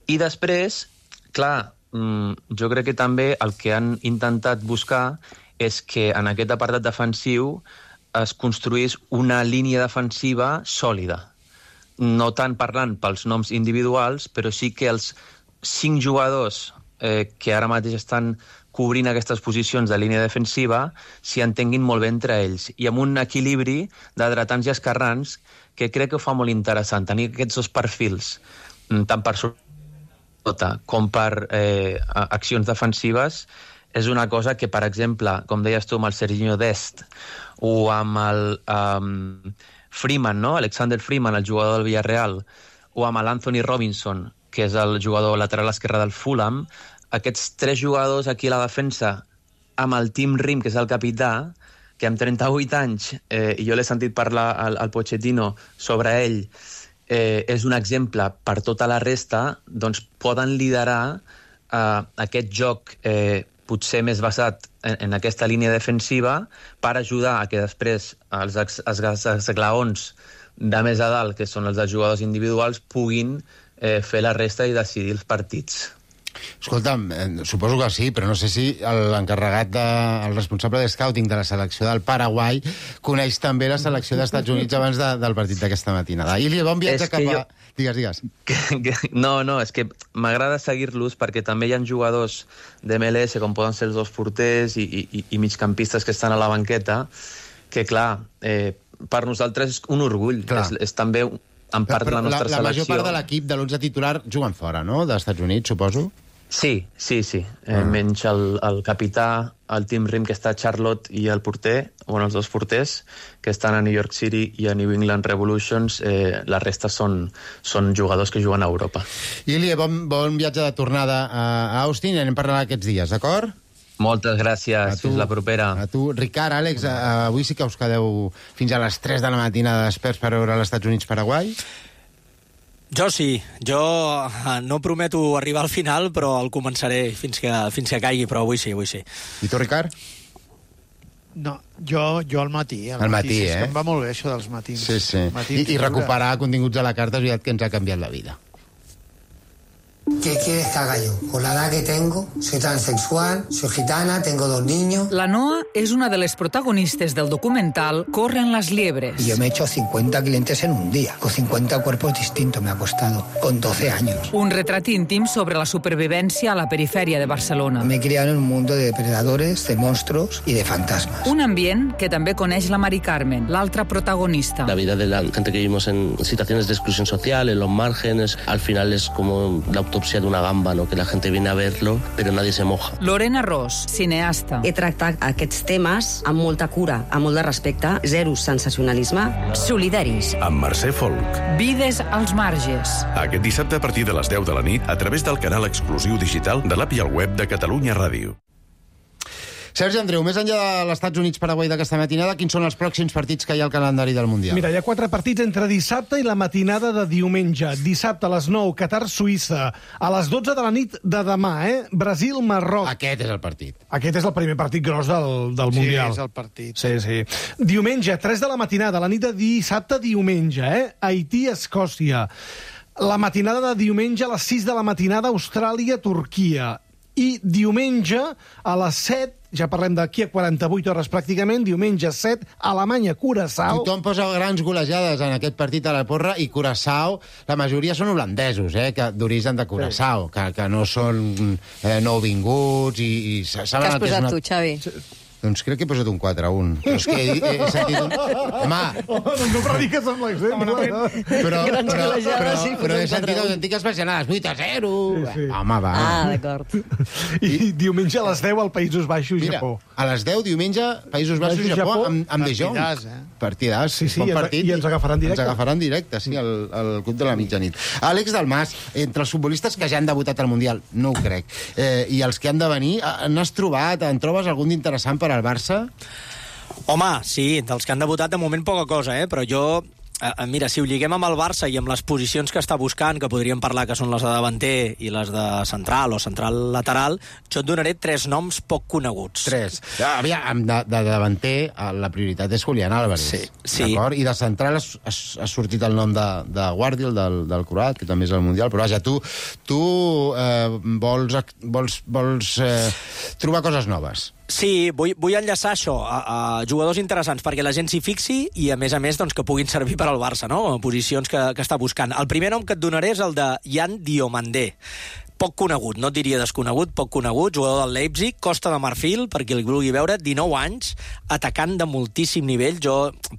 Speaker 9: I després, clar, jo crec que també el que han intentat buscar és que en aquest apartat defensiu es construís una línia defensiva sòlida. No tant parlant pels noms individuals, però sí que els 5 jugadors que ara mateix estan cobrint aquestes posicions de línia defensiva s'hi entenguin molt bé entre ells, i amb un equilibri de dretans i esquerrans que crec que ho fa molt interessant, tenir aquests dos perfils, tant per com per accions defensives, és una cosa que, per exemple, com deies tu, amb el Serginho Dest o amb el Freeman, no? Alexander Freeman, el jugador del Villarreal, o amb l'Anthony Robinson, que és el jugador lateral esquerre del Fulham, aquests 3 jugadors aquí a la defensa, amb el Tim Rim, que és el capità, que amb 38 anys, i jo l'he sentit parlar al Pochettino sobre ell, és un exemple per tota la resta, doncs poden liderar aquest joc potser més basat en aquesta línia defensiva per ajudar a que després els esglaons de més a dalt, que són els dels jugadors individuals, puguin fer la resta i decidir els partits.
Speaker 2: Escolta'm, suposo que sí, però no sé si l'encarregat, el responsable de scouting de la selecció del Paraguai coneix també la selecció dels Estats Units abans del partit d'aquesta matinada. I li bon viatge cap a... Digues.
Speaker 9: No, és que m'agrada seguir-los perquè també hi ha jugadors de MLS, com poden ser els dos porters i migcampistes que estan a la banqueta, que, clar, per nosaltres és un orgull. És també en part de la nostra selecció.
Speaker 2: La major part de l'equip de l'11 titular juguen fora, no?, dels Estats Units, suposo?
Speaker 9: Sí. Menys el capità, el Tim Rim, que està a Charlotte, i el porter, els dos porters, que estan a New York City i a New England Revolutions. La resta són jugadors que juguen a Europa.
Speaker 2: Ilie, bon viatge de tornada a Austin, i anem parlant aquests dies, d'acord?
Speaker 9: Moltes gràcies, fins la propera.
Speaker 2: A tu, Ricard, Àlex, avui sí que us quedeu fins a les 3 de la matinada desperts per veure els Estats Units-Paraguai?
Speaker 8: Jo sí. Jo no prometo arribar al final, però el començaré fins que caigui, però avui sí.
Speaker 2: I tu, Ricard?
Speaker 5: No, jo al matí.
Speaker 2: Al matí,
Speaker 5: sí, em va molt bé, això dels matins.
Speaker 2: Sí. I recuperar continguts a la carta és veritat que ens ha canviat la vida.
Speaker 10: ¿Qué quieres que haga yo? Con la edad que tengo, soy transexual, soy gitana, tengo 2 niños.
Speaker 11: La Noa és una de les protagonistes del documental Corren las liebres.
Speaker 10: Y yo me he hecho 50 clientes en un día, con 50 cuerpos distintos me ha costado, con 12 años.
Speaker 11: Un retrat íntim sobre la supervivència a la perifèria de Barcelona.
Speaker 10: Me he criado en un mundo de depredadores, de monstruos y de fantasmas.
Speaker 11: Un ambient que també coneix la Mari Carmen, l'altra protagonista.
Speaker 12: La vida de la gente que vivimos en situaciones de exclusión social, en los márgenes, al final es como la autopsia de una gamba, ¿no? Que la gente viene a verlo, pero nadie se moja.
Speaker 11: Lorena Ros, cineasta.
Speaker 13: He tractat aquests temes amb molta cura, amb molt de respecte, zero sensacionalisme.
Speaker 11: Solidaris.
Speaker 3: Amb Mercè Folk.
Speaker 11: Vides als marges.
Speaker 3: Aquest dissabte a partir de les 10 de la nit a través del canal exclusiu digital de l'app i el web de Catalunya Ràdio.
Speaker 2: Sergi Andreu, més enllà de l'Estats Units-Paraguai d'aquesta matinada, quins són els pròxims partits que hi ha al calendari del Mundial?
Speaker 7: Mira, hi ha 4 partits entre dissabte i la matinada de diumenge. Dissabte a les 9, Qatar-Suïssa. A les 12 de la nit de demà, Brasil-Marroc.
Speaker 2: Aquest és el partit.
Speaker 7: Aquest és el primer partit gros del Mundial.
Speaker 5: Sí, és el partit.
Speaker 7: Sí. Diumenge, 3 de la matinada, la nit de dissabte-diumenge, Haití-Escòcia. La matinada de diumenge a les 6 de la matinada, Austràlia-Turquia. I diumenge a les 7, ja parlem d'aquí a 48 hores pràcticament, diumenge 7, Alemanya-Curaçao.
Speaker 2: Tothom posa grans golejades en aquest partit a la porra, i Curaçao, la majoria són holandesos, d'origen de Curaçao, que no són nouvinguts i saben
Speaker 4: el que és una... Què has posat tu, Xavi?
Speaker 2: Doncs crec que he posat un 4-1. Però és que he sentit un... Home!
Speaker 7: No prediques amb l'exemple.
Speaker 2: Però he sentit autèntiques versionades. 8-0.
Speaker 7: Sí.
Speaker 2: Home, va.
Speaker 4: Ah, d'acord.
Speaker 7: I diumenge a les 10 al Països Baixos, Japó.
Speaker 2: A les 10, diumenge, Països Baixos, Japó, amb De Jong. Partidàs.
Speaker 7: Sí, i ens agafaran directe.
Speaker 2: Ens agafaran directe, sí, al Club de la Mitjanit. Àlex Dalmas, entre els futbolistes que ja han debutat al Mundial, no ho crec, i els que han de venir, n'has trobat, en trobes algun d'interessant per al Barça?
Speaker 8: Home, sí, dels que han debutat de moment poca cosa, però jo... Mira, si ho lliguem amb el Barça i amb les posicions que està buscant, que podríem parlar que són les de davanter i les de central o central lateral, jo et donaré 3 noms poc coneguts.
Speaker 2: 3. Aviam, de davanter la prioritat és Julián Álvarez.
Speaker 8: Sí.
Speaker 2: D'acord? I de central ha sortit el nom de Guardiol, del croat, que també és al Mundial, però vaja, tu vols trobar coses noves.
Speaker 8: Sí, vull enllaçar això a jugadors interessants perquè la gent s'hi fixi i, a més, doncs, que puguin servir per al Barça, no? Posicions que està buscant. El primer nom que et donaré és el de Yan Diomandé. Poc conegut, no et diria desconegut, poc conegut, jugador del Leipzig, Costa de Marfil, per qui el vulgui veure, 19 anys, atacant de moltíssim nivell.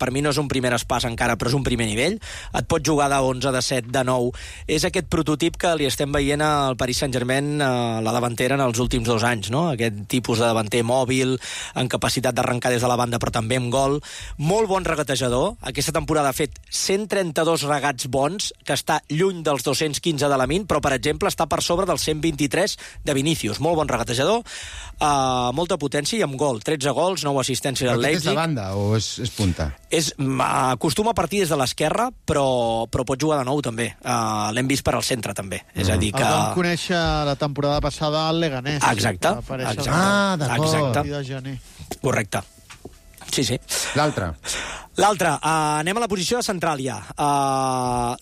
Speaker 8: Per mi no és un primer espàs encara, però és un primer nivell. Et pot jugar de 11, de 7, de 9. És aquest prototip que li estem veient al Paris Saint-Germain, la davantera, en els últims 2 anys, no? Aquest tipus de davanter mòbil, amb capacitat d'arrencar des de la banda, però també amb gol. Molt bon regatejador. Aquesta temporada ha fet 132 regats bons, que està lluny dels 215 de la Min, però, per exemple, està per sobre del 123 de Vinícius. Molt bon regatejador, molta potència i amb gol. 13 gols, 9 assistències al Leipzig.
Speaker 2: Però és de banda o és punta?
Speaker 8: Acostuma a partir des de l'esquerra, però pot jugar de nou també. L'hem vist per al centre també. És a dir que...
Speaker 5: El vam conèixer la temporada passada al Leganés.
Speaker 8: Exacte.
Speaker 2: D'acord.
Speaker 8: Correcte. Sí. L'altre, anem a la posició de central ja.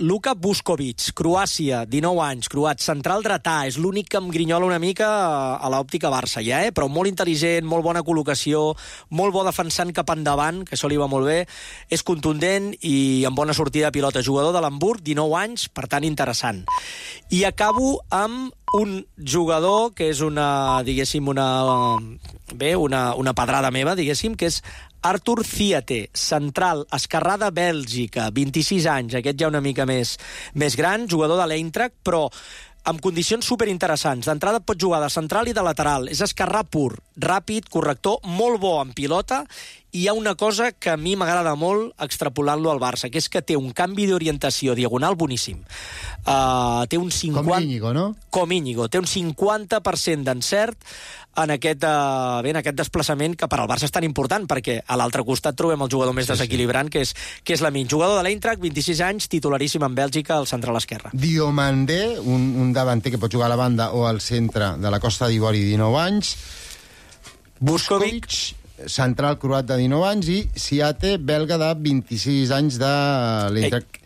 Speaker 8: Luka Vuskovic, Croàcia, 19 anys, croat, central dretà, és l'únic que em grinyola una mica a l'òptica Barça ja, però molt intel·ligent, molt bona col·locació, molt bo defensant cap endavant, que això li va molt bé, és contundent i amb bona sortida de pilota, jugador de l'Hamburg, 19 anys, per tant interessant. I acabo amb un jugador que és una pedrada meva, diguéssim, que és Artur Ziate, central, esquerrà de Bèlgica, 26 anys, aquest ja una mica més gran, jugador de l'Eintracht, però amb condicions superinteressants. D'entrada pot jugar de central i de lateral, és esquerrà pur, ràpid, corrector, molt bo en pilota, i hi ha una cosa que a mi m'agrada molt extrapolant-lo al Barça, que és que té un canvi d'orientació diagonal boníssim. Té un 50...
Speaker 2: Com Íñigo, no?
Speaker 8: Com Íñigo. Té un 50% d'encert en aquest desplaçament que per al Barça és tan important, perquè a l'altre costat trobem el jugador més desequilibrant, que és Lamine. Jugador de l'Eintracht, 26 anys, titularíssim en Bèlgica, al central esquerre.
Speaker 2: Diomandé, un davanter que pot jugar a la banda o al centre de la Costa d'Ivori, 19 anys. Vuskovic, central croat de 19 anys, i Ziate, belga de 26 anys de l'Eintracht.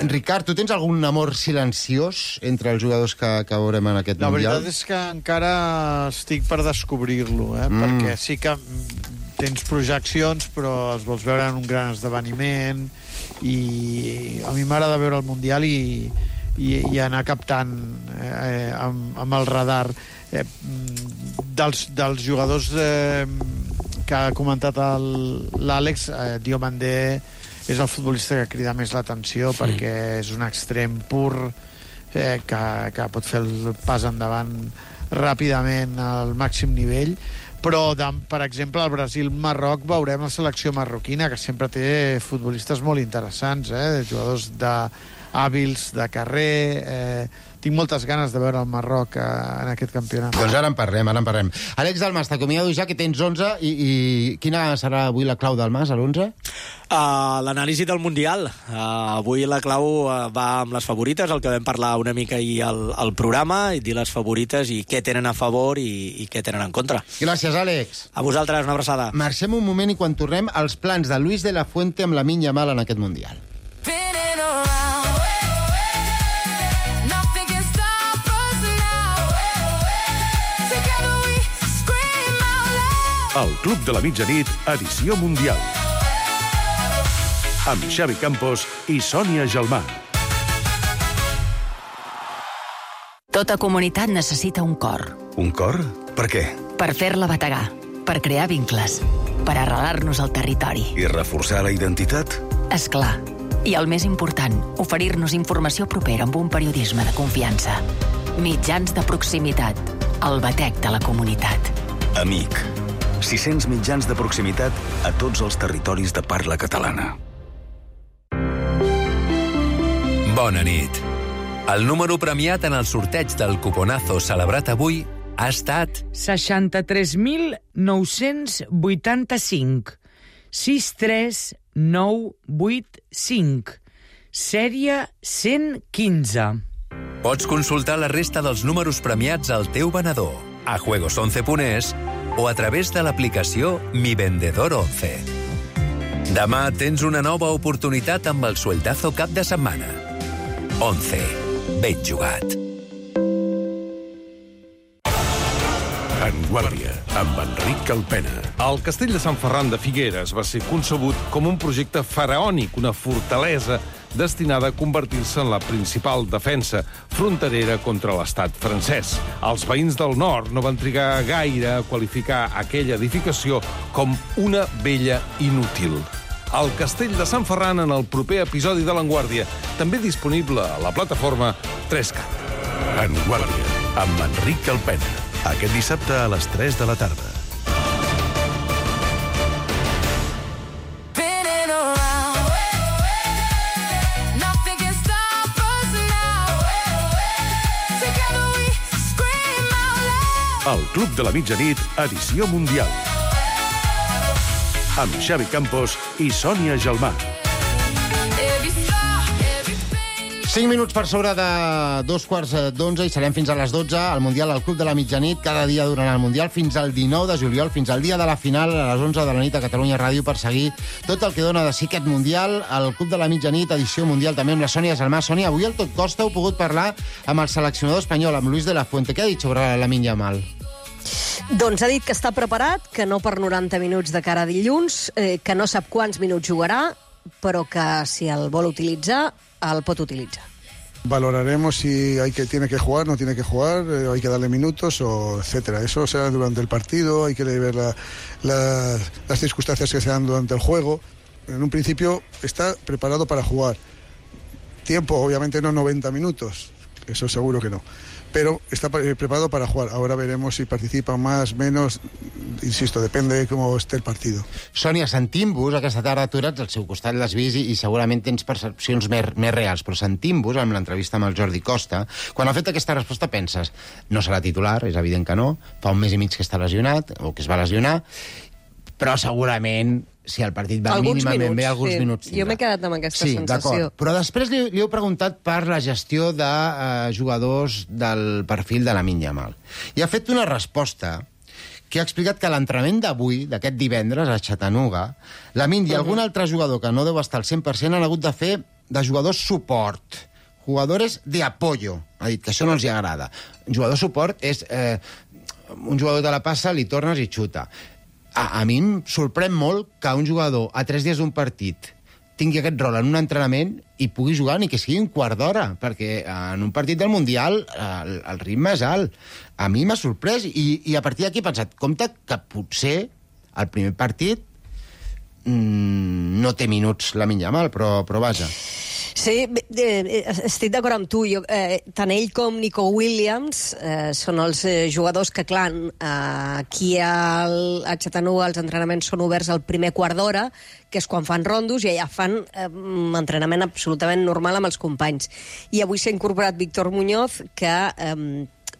Speaker 2: Ricard, tu tens algun amor silenciós entre els jugadors que veurem en aquest Mundial?
Speaker 5: La veritat és que encara estic per descobrir-lo, perquè sí que tens projeccions, però els vols veure en un gran esdeveniment, i a mi m'agrada veure el Mundial i anar captant amb el radar dels jugadors que ha comentat l'Àlex. Diomandé és el futbolista que crida més l'atenció, perquè és un extrem pur que pot fer el pas endavant ràpidament al màxim nivell. Però, per exemple, al Brasil-Marroc veurem la selecció marroquina, que sempre té futbolistes molt interessants, jugadors hàbils, de carrer. Tinc moltes ganes de veure el Marroc en aquest campionat.
Speaker 2: Doncs ara en parlem. Àlex Dalmas, t'acomiado ja que tens 11, i quina serà avui la clau del Mas, a l'11?
Speaker 8: L'anàlisi del Mundial. Avui la clau va amb les favorites, el que vam parlar una mica ahir al programa, i dir les favorites i què tenen a favor i què tenen en contra.
Speaker 2: Gràcies, Àlex.
Speaker 8: A vosaltres, una abraçada.
Speaker 2: Marxem un moment i quan tornem, els plans de Luis de la Fuente amb Lamine Yamal en aquest Mundial.
Speaker 3: El Club de la Mitjanit, edició mundial. Amb Xavi Campos i Sònia Gelmà.
Speaker 14: Tota comunitat necessita un cor.
Speaker 15: Un cor? Per què?
Speaker 14: Per fer-la bategar, per crear vincles, per arrelar-nos al territori.
Speaker 15: I reforçar la identitat?
Speaker 14: És clar. I el més important, oferir-nos informació propera amb un periodisme de confiança. Mitjans de proximitat, el batec de la comunitat.
Speaker 15: Amic. 600 mitjans de proximitat a tots els territoris de parla catalana.
Speaker 16: Bona nit. El número premiat en el sorteig del cuponazo celebrat avui ha estat
Speaker 17: 63.985 63985, sèrie 115.
Speaker 16: Pots consultar la resta dels números premiats al teu venedor, a juegos11.es o a través de l'aplicació Mi Vendedor 11. Demà tens una nova oportunitat amb el sueldazo cap de setmana. 11. Ben jugat.
Speaker 3: En Guàrdia, amb Enric Calpena.
Speaker 18: El castell de Sant Ferran de Figueres va ser concebut com un projecte faraònic, una fortalesa destinada a convertir-se en la principal defensa fronterera contra l'estat francès. Els veïns del nord no van trigar gaire a qualificar aquella edificació com una vella inútil. El castell de Sant Ferran en el proper episodi de l'Enguàrdia, també disponible a la plataforma 3CAT.
Speaker 3: En Guàrdia, amb Enric Calpena. Aquest dissabte a les 3 de la tarda. El Club de la Mitjanit, edició mundial. Amb Xavi Campos i Sònia Gelmà.
Speaker 2: 5 minuts per sobre de 2:15 i serem fins a les 12 al Mundial al Club de la Mitjanit, cada dia durant el Mundial, fins al 19 de juliol, fins al dia de la final, a les 11 de la nit a Catalunya Ràdio, per seguir tot el que dona de si aquest Mundial, al Club de la Mitjanit, edició mundial, també amb la Sònia Gelmà. Sònia, avui al Tot Costa heu pogut parlar amb el seleccionador espanyol, amb Luis de la Fuente. Què ha dit sobre Lamine Yamal?
Speaker 4: Doncs ha dit que està preparat, que no per 90 minuts de cara a dilluns, que no sap quants minuts jugarà, però que si el vol utilitzar, el pot utilitzar.
Speaker 19: Valoraremos si tiene que jugar, no tiene que jugar, hay que darle minutos, etcétera. Eso será durante el partido, hay que ver las circunstancias que se dan durante el juego. En un principio está preparado para jugar. Tiempo, obviamente no 90 minutos, eso seguro que no. Pero está preparado para jugar. Ahora veremos si participa más, menos. Insisto, depende de com esté el partido.
Speaker 2: Sònia, sentim-vos aquesta tarda, tu eres al seu costat, l'has vist i segurament tens percepcions més reals, però sentim-vos amb l'entrevista amb el Jordi Costa. Quan ha fet aquesta resposta penses, no serà titular, és evident que no, fa un mes i mig que està lesionat, o que es va lesionar, però segurament, si el partit va mínimament bé, alguns minuts tindrà.
Speaker 4: Jo m'he quedat amb aquesta sensació.
Speaker 2: D'acord. Però després li heu preguntat per la gestió de jugadors del perfil de Lamine Yamal. I ha fet una resposta que ha explicat que l'entrenament d'avui, d'aquest divendres, a Chattanooga, Lamine i algun altre jugador que no deu estar al 100% han hagut de fer de jugadors suport, jugadores de apoyo. Ha dit que això no els agrada. Un jugador suport és un jugador te la passa, li tornes i xuta. A mi em sorprèn molt que un jugador a 3 dies d'un partit tingui aquest rol en un entrenament i pugui jugar ni que sigui un quart d'hora, perquè en un partit del Mundial el ritme és alt. A mi m'ha sorprès i a partir d'aquí he pensat, compte que potser el primer partit no té minuts Lamine Yamal, però vaja.
Speaker 4: Sí, estic d'acord amb tu. Tant ell com Nico Williams són els jugadors que, clar, aquí a Chattanooga els entrenaments són oberts al primer quart d'hora, que és quan fan rondos, i allà fan entrenament absolutament normal amb els companys. I avui s'ha incorporat Víctor Muñoz, que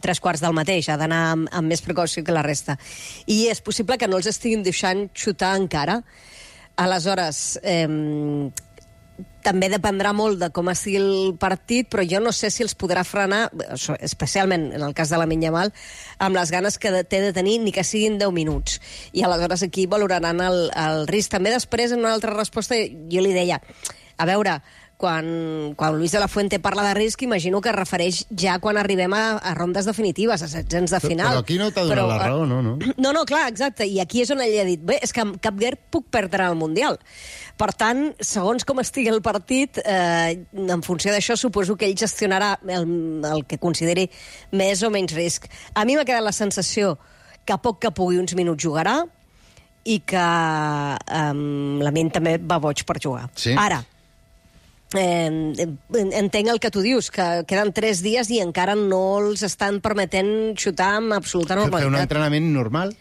Speaker 4: 3/4 del mateix, ha d'anar amb més precaució que la resta. I és possible que no els estiguin deixant xutar encara. Aleshores, també dependrà molt de com estigui el partit, però jo no sé si els podrà frenar, especialment en el cas de Lamine Yamal, amb les ganes que té de tenir, ni que siguin 10 minuts. I aleshores aquí valoraran el risc. També després, en una altra resposta, jo li deia, a veure, quan Luis de la Fuente parla de risc, imagino que es refereix ja quan arribem a rondes definitives, a setzents de final.
Speaker 2: Però aquí no t'ha donat la raó, no?
Speaker 4: No, clar, exacte. I aquí és on ell ha dit, bé, és que amb cap guerra puc perdre el Mundial. Per tant, segons com estigui el partit, en funció d'això, suposo que ell gestionarà el que consideri més o menys risc. A mi m'ha quedat la sensació que a poc que pugui uns minuts jugarà i que Lamine també va boig per jugar.
Speaker 2: Sí.
Speaker 4: Ara, entenc el que tu dius, que queden 3 dies i encara no els estan permetent xutar amb absoluta normalitat.
Speaker 2: Fer un entrenament normal.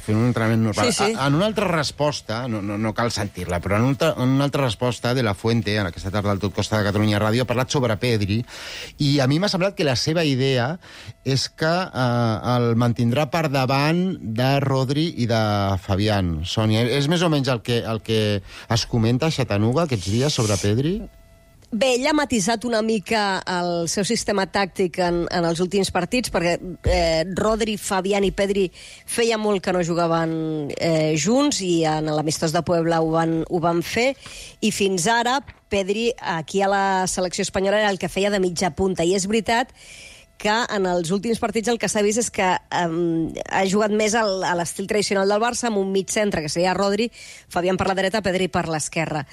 Speaker 4: Sí.
Speaker 2: En una altra resposta, no cal sentir-la, però en una altra resposta de la Fuente, en aquesta tarda al Tot Costa de Catalunya Ràdio, ha parlat sobre Pedri, i a mi m'ha semblat que la seva idea és que el mantindrà per davant de Rodri i de Fabián. Sònia, és més o menys el que es comenta a Chattanooga aquests dies sobre Pedri?
Speaker 4: Bé, ell ha matisat una mica el seu sistema tàctic en els últims partits, perquè Rodri, Fabián i Pedri feia molt que no jugaven junts, i en l'amistós de Puebla ho van fer, i fins ara Pedri aquí a la selecció espanyola era el que feia de mitja punta, i és veritat que en els últims partits el que s'ha vist és que ha jugat més a l'estil tradicional del Barça, amb un mig centre, que seria Rodri, Fabián per la dreta, Pedri per l'esquerra.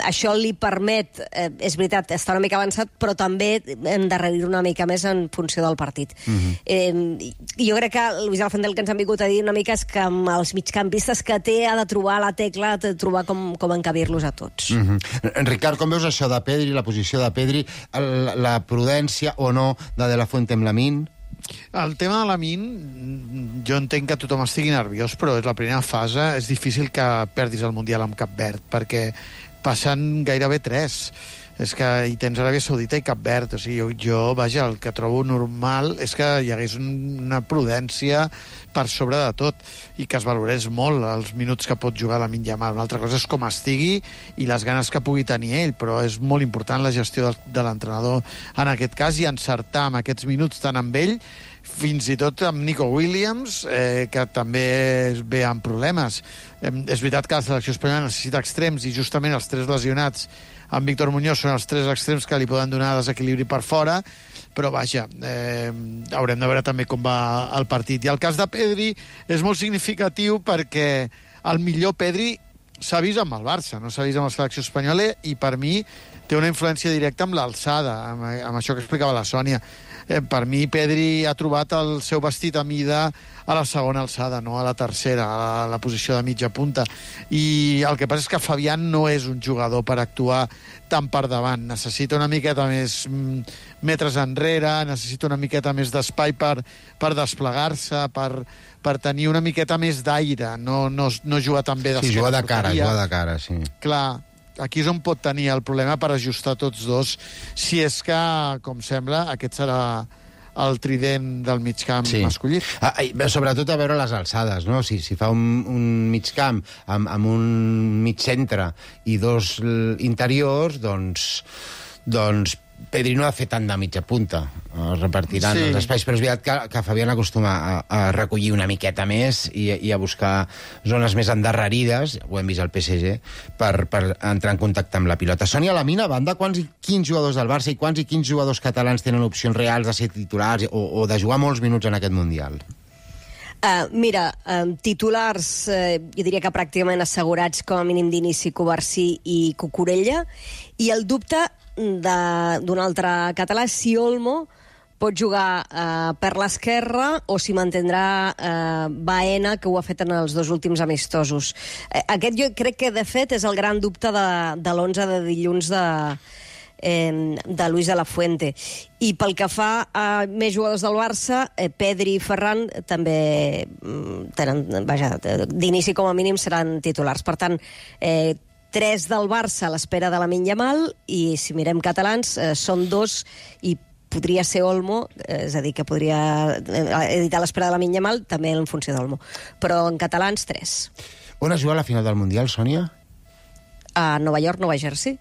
Speaker 4: Això li permet, és veritat, estar una mica avançat, però també endarrerir una mica més en funció del partit. Jo crec que Luis de la Fuente, el que ens han vingut a dir una mica és que amb els migcampistes que té ha de trobar la tecla, de trobar com encabir-los a tots.
Speaker 2: Ricard, com veus això de Pedri, la posició de Pedri, la prudència o no de la Fuente amb Lamine?
Speaker 5: El tema de Lamine, jo entenc que tothom estigui nerviós, però és la primera fase, és difícil que perdis el Mundial amb Cap Verd, perquè passen gairebé 3. És que hi tens Aràbia Saudita i Cap Verd. O sigui, vaja, el que trobo normal és que hi hagués una prudència per sobre de tot i que es valorés molt els minuts que pot jugar Lamine Yamal. Una altra cosa és com estigui i les ganes que pugui tenir ell, però és molt important la gestió de l'entrenador en aquest cas i encertar amb aquests minuts tant amb ell, fins i tot amb Nico Williams, que també ve amb problemes. És veritat que la selecció espanyola necessita extrems i justament els 3 lesionats amb Víctor Muñoz són els 3 extrems que li poden donar desequilibri per fora, però vaja, haurem de veure també com va el partit. I el cas de Pedri és molt significatiu perquè el millor Pedri s'ha vist amb el Barça, no s'ha vist amb la selecció espanyola, i per mi té una influència directa amb l'alçada, amb això que explicava la Sònia. Per mi, Pedri ha trobat el seu vestit a mida a la segona alçada, no a la tercera, a la posició de mitja punta. I el que passa és que Fabián no és un jugador per actuar tan per davant. Necessita una miqueta més metres enrere, necessita una miqueta més d'espai per desplegar-se, per tenir una miqueta més d'aire, no jugar tan bé d'esquena.
Speaker 2: Sí, jugar de cara, sí.
Speaker 5: Clar, aquí és on pot tenir el problema per ajustar tots dos, si és que, com sembla, aquest serà el trident del migcamp masculí.
Speaker 2: Sobretot a veure les alçades, no? Si fa un migcamp amb un mig centre i 2 interiors, doncs Pedri no ha fet tant de mitja punta. Es repartiran els espais, però és veritat que Fabián acostuma a recollir una miqueta més i a buscar zones més endarrerides, ho hem vist al PSG, per entrar en contacte amb la pilota. Sònia, la mina, banda, quins jugadors del Barça i quins jugadors catalans tenen opcions reals de ser titulars o de jugar molts minuts en aquest Mundial?
Speaker 4: Mira, titulars, jo diria que pràcticament assegurats com a mínim d'inici, Covarsí i Cucurella, i el dubte d'un altre català, si Olmo pot jugar per l'esquerra o si mantindrà Baena, que ho ha fet en els 2 últims amistosos. Aquest jo crec que, de fet, és el gran dubte de l'11 de dilluns de Luis de la Fuente. I pel que fa a més jugadors del Barça, Pedri i Ferran també tenen, vaja, d'inici com a mínim seran titulars. Per tant, 3 del Barça a l'espera de Lamine Yamal, i si mirem catalans són 2 i podria ser Olmo, és a dir, que podria editar l'espera de Lamine Yamal també en funció d'Olmo, però en catalans 3.
Speaker 2: On es juga la final del Mundial, Sònia?
Speaker 4: A Nova York, Nova Jersey.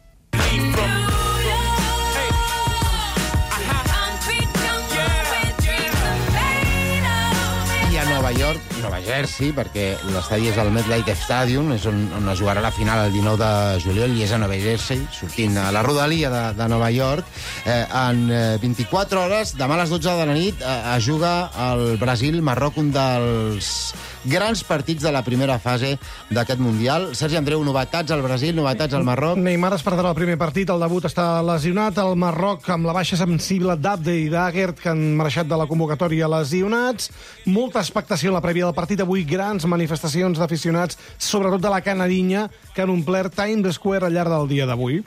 Speaker 2: Nova York, Nova Jersey, perquè l'estadi és el MetLife Stadium, és on es jugarà la final el 19 de juliol, i és a Nova Jersey, sortint a la rodalia de Nova York. En 24 hores, demà a les 12 de la nit, es juga el Brasil-Marroc, un dels grans partits de la primera fase d'aquest Mundial. Sergi Andreu, novetats al Brasil, novetats al Marroc?
Speaker 7: Neymar es perdrà el primer partit, el debut està lesionat, el Marroc amb la baixa sensible d'Abde i d'Agert, que han marxat de la convocatòria lesionats, molta expectació en la prèvia del partit, avui grans manifestacions d'aficionats, sobretot de la Canarinya, que han omplert Times Square al llarg del dia d'avui.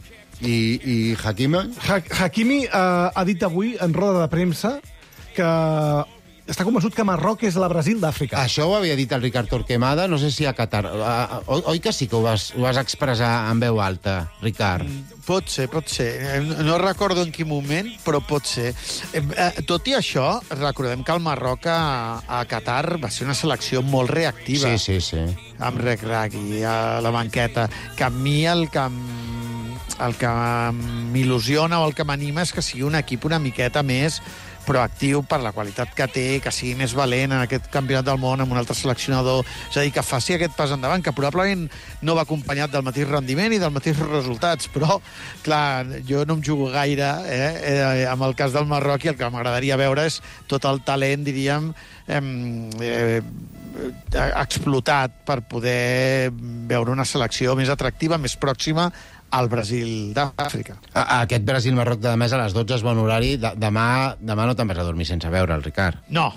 Speaker 2: I Hakimi?
Speaker 7: Hakimi ha dit avui, en roda de premsa, que està convençut que Marroc és la Brasil d'Àfrica.
Speaker 2: Això ho havia dit el Ricard Torquemada, no sé si a Qatar. Oi que sí que ho vas expressar en veu alta, Ricard?
Speaker 5: Pot ser. No recordo en quin moment, però pot ser. Tot i això, recordem que el Marroc a Qatar va ser una selecció molt reactiva.
Speaker 2: Sí.
Speaker 5: Amb Regragui a la banqueta. Que a mi el que m'il·lusiona o el que m'anima és que sigui un equip una miqueta més proactiu per la qualitat que té, que sigui més valent en aquest campionat del món amb un altre seleccionador, és a dir, que faci aquest pas endavant, que probablement no va acompanyat del mateix rendiment i dels mateixos resultats, però, clar, jo no em jugo gaire amb el cas del Marroc, i el que m'agradaria veure és tot el talent, diríem, explotat per poder veure una selecció més atractiva, més pròxima al Brasil d'Àfrica.
Speaker 2: Aquest Brasil-Marroc de demà a les 12 és bon horari. Demà no te'n vas a dormir sense veure el Ricard.
Speaker 5: No,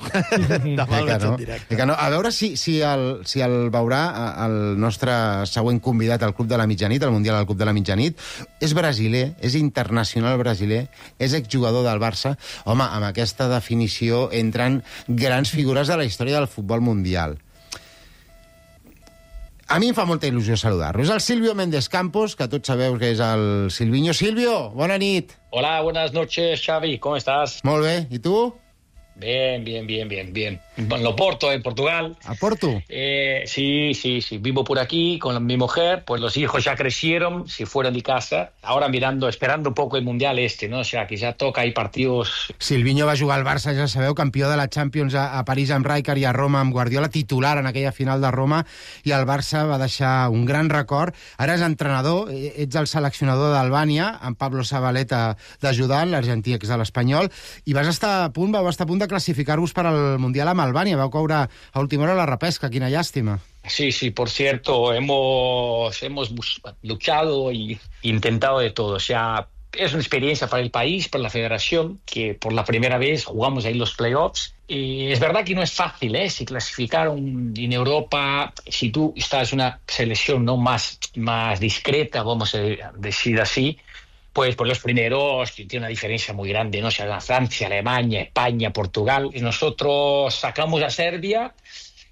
Speaker 5: demà el veig en directe.
Speaker 2: A veure si el veurà el nostre següent convidat al Club de la Mitjanit, al Mundial del Club de la Mitjanit. És brasiler, és internacional brasiler, és exjugador del Barça. Home, amb aquesta definició entren grans figures de la història del futbol mundial. A mi em fa molta il·lusió saludar-lo. És el Silvio Méndez Campos, que tots sabeu que és el Silviño. Silvio, bona nit.
Speaker 20: Hola, buenas noches, Xavi. ¿Cómo estás?
Speaker 2: Molt bé. I tu?
Speaker 20: Bien. En Oporto, en Portugal.
Speaker 2: ¿A Porto?
Speaker 20: Sí. Vivo por aquí con mi mujer. Pues los hijos ya crecieron, se fueron de casa. Ahora esperando un poco el Mundial ¿no? O sea, que ya toca, hay partidos...
Speaker 2: Silviño va jugar al Barça, ja sabeu, campió de la Champions a París amb Rijkaard i a Roma amb Guardiola, titular en aquella final de Roma, i el Barça va deixar un gran record. Ara és entrenador, ets el seleccionador d'Albània, amb Pablo Zabaleta d'ajudant, l'argentí ex de l'Espanyol, i vau estar a punt de classificar-vos per al Mundial amb Albània. Vau caure a última hora la repesca, quina llàstima.
Speaker 20: Sí, por cierto, hemos luchado y intentado de todo. O sea, es una experiencia para el país, para la federación, que por la primera vez jugamos ahí los playoffs. Y es verdad que no es fácil, si clasificaron en Europa, si tú estás en una selección no más discreta, vamos a decir así, pues por los primeros tiene una diferencia muy grande, ¿no? O sea, Francia, Alemania, España, Portugal. Y nosotros sacamos a Serbia,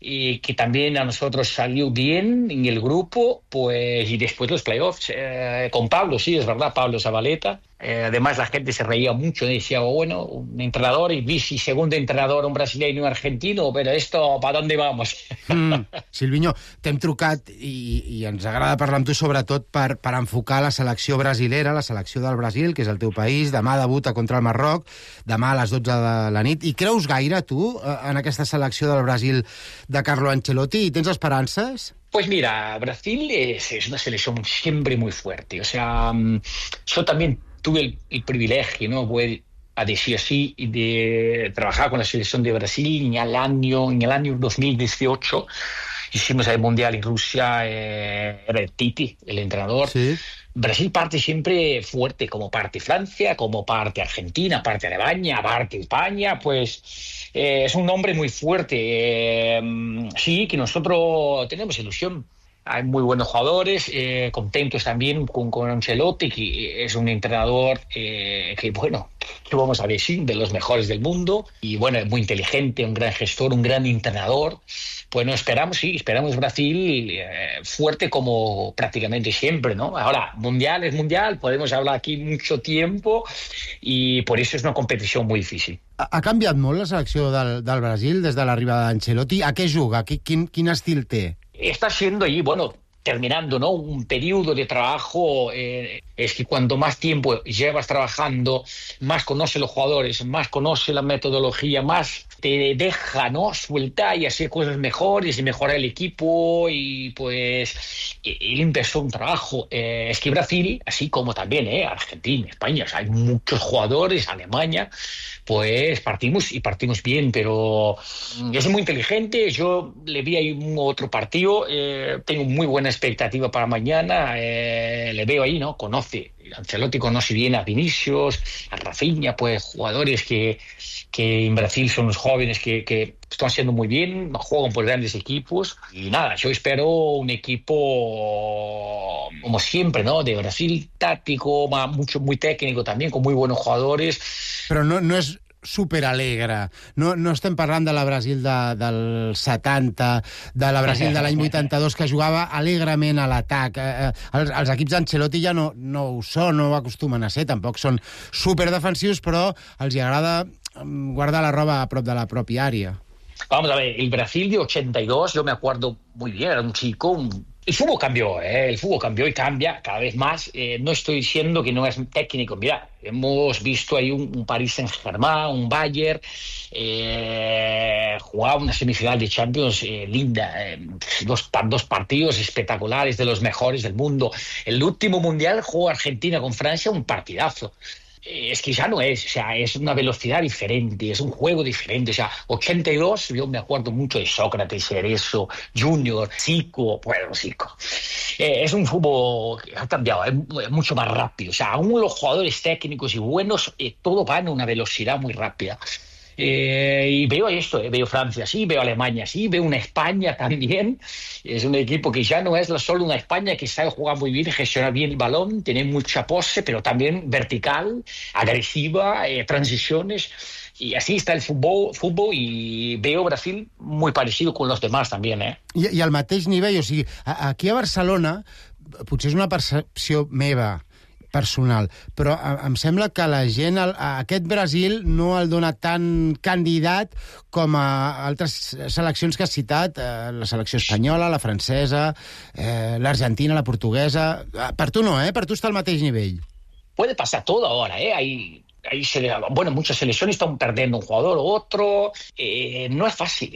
Speaker 20: y que también a nosotros salió bien en el grupo, pues, y después los playoffs con Pablo, sí, es verdad, Pablo Zabaleta. Además la gente se reía mucho, decía, bueno, un entrenador y vice segundo entrenador, un brasileño y un argentino, pero esto, ¿para dónde vamos?
Speaker 2: Silviño, t'hem trucat i ens agrada parlar amb tu sobretot per enfocar la selecció brasilera, la selecció del Brasil, que és el teu país. Demà debuta contra el Marroc, demà a les 12 de la nit. I creus gaire, tu, en aquesta selecció del Brasil de Carlo Ancelotti? I tens esperances?
Speaker 20: Pues mira, Brasil es una selección siempre muy fuerte. O sea, yo también tuve el privilegio, ¿no? Voy a decir así, de trabajar con la selección de Brasil en el año 2018. Hicimos el Mundial en Rusia, era Titi, el entrenador. Sí. Brasil parte siempre fuerte, como parte Francia, como parte Argentina, parte Alemania, parte España, pues es un nombre muy fuerte. Sí, que nosotros tenemos ilusión. Hay muy buenos jugadores, contentos también con Ancelotti, que es un entrenador que, bueno, que vamos a decir, de los mejores del mundo, y bueno, es muy inteligente, un gran gestor, un gran entrenador. Bueno, esperamos Brasil fuerte como prácticamente siempre, ¿no? Ahora, mundial es mundial, podemos hablar aquí mucho tiempo, y por eso es una competició muy difícil.
Speaker 2: Ha canviat molt la selecció del Brasil des de l'arribada d'Ancelotti? A què juga? Quin estil té?
Speaker 20: Está siendo ahí, bueno, terminando, ¿no? Un periodo de trabajo. Es que cuanto más tiempo llevas trabajando, más conoce los jugadores, más conoce la metodología, más te deja, ¿no? Suelta y hacer cosas mejores y mejorar el equipo. Y pues él empezó un trabajo. Es que Brasil, así como también Argentina, España, o sea, hay muchos jugadores, Alemania, pues partimos bien, pero es muy inteligente. Yo le vi ahí otro partido, tengo muy buena expectativa para mañana, le veo ahí, ¿no? Ancelotti conoce bien a Vinicius, a Rafinha, pues jugadores que en Brasil son los jóvenes que están haciendo muy bien, juegan por grandes equipos, y nada, yo espero un equipo como siempre, ¿no? De Brasil, táctico, muy técnico también, con muy buenos jugadores.
Speaker 2: Però no és superalegre. No estem parlant de la Brasil del 70, de la Brasil de l'any 82, que jugava alegrement a l'atac. Els equips d'Ancelotti ja no ho són, no ho acostumen a ser, tampoc són superdefensius, però els agrada guardar la roba a prop de la pròpia àrea.
Speaker 20: Vamos a ver, el Brasil de 82, yo me acuerdo muy bien, era un chico... El fútbol cambió, el fútbol cambió y cambia cada vez más. No estoy diciendo que no es técnico. Mira, hemos visto ahí un Paris Saint-Germain, un Bayern, jugaba una semifinal de Champions linda, dos partidos espectaculares, de los mejores del mundo. El último Mundial jugó Argentina con Francia, un partidazo. Es que ya no es, o sea, es una velocidad diferente, es un juego diferente. O sea, 82, yo me acuerdo mucho de Sócrates, Cerezo, Junior, Zico. Es un fútbol que ha cambiado, es mucho más rápido. O sea, aún los jugadores técnicos y buenos, todo va en una velocidad muy rápida. Y veo esto, veo Francia, sí, veo Alemania, sí, veo una España también, Es un equipo que ya no es solo una España que sabe jugar muy bien, gestionar bien el balón, tiene mucha pose, pero también vertical, agresiva, transiciones. Y así está el fútbol y veo Brasil muy parecido con los demás también, eh?
Speaker 2: I al mateix nivell, o sigui, aquí a Barcelona, potser és una percepció meva, personal, però em sembla que la gent a aquest Brasil no el dona tan candidat com a altres seleccions que has citat, la selecció espanyola, la francesa, l'Argentina, la portuguesa. Per tu no, per tu està al mateix nivell.
Speaker 20: Puede pasar todo ahora, muchas selecciones están perdiendo un jugador u otro. No es fácil.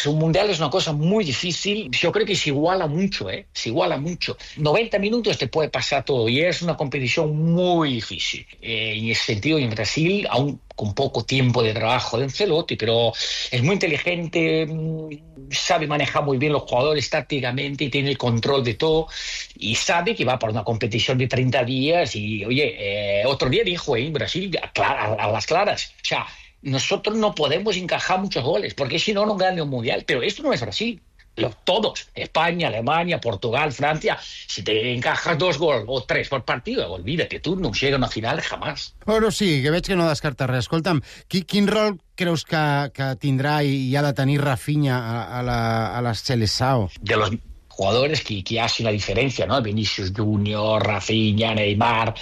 Speaker 20: Un mundial es una cosa muy difícil. Yo creo que se iguala mucho, se iguala mucho. 90 minutos te puede pasar todo y es una competición muy difícil. En ese sentido, en Brasil, aún con poco tiempo de trabajo de Ancelotti, pero es muy inteligente, sabe manejar muy bien los jugadores tácticamente y tiene el control de todo y sabe que va por una competición de 30 días y, otro día dijo en Brasil a las claras, o sea, nosotros no podemos encajar muchos goles porque si no gana el Mundial, pero esto no es Brasil. Todos, España, Alemania, Portugal, Francia, si te encajas 2 gols o 3 por partido, olvídate, tu no llega a una final jamás.
Speaker 2: Bueno, sí, que veig que no descarta res. Escolta'm, quin rol creus que tindrà i ha de tenir Rafinha a la Seleção?
Speaker 20: De los jugadores que hacen la diferencia, ¿no? Vinicius Junior, Rafinha, Neymar,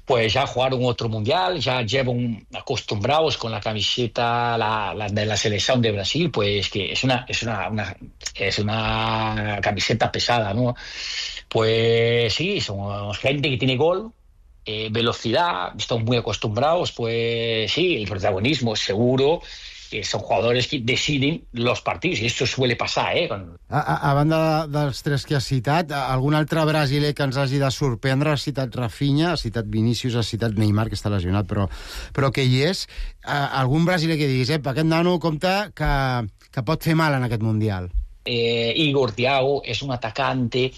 Speaker 20: pues ya jugaron otro mundial, ya llevan acostumbrados con la camiseta de la selección de Brasil, pues que es una camiseta pesada, ¿no? Pues sí, son gente que tiene gol, velocidad, están muy acostumbrados, pues sí, el protagonismo es seguro, que son jugadores que deciden los partidos, i això suele passar,
Speaker 2: A banda dels 3 que has citat, algun altre brasiler que ens hagi de sorprendre? Has citat Rafinha, has citat Vinícius, has citat Neymar, que està lesionat, però que hi és. Algun brasiler que diguis, aquest nano, compte, que pot fer mal en aquest Mundial.
Speaker 20: Igor Thiago es un atacante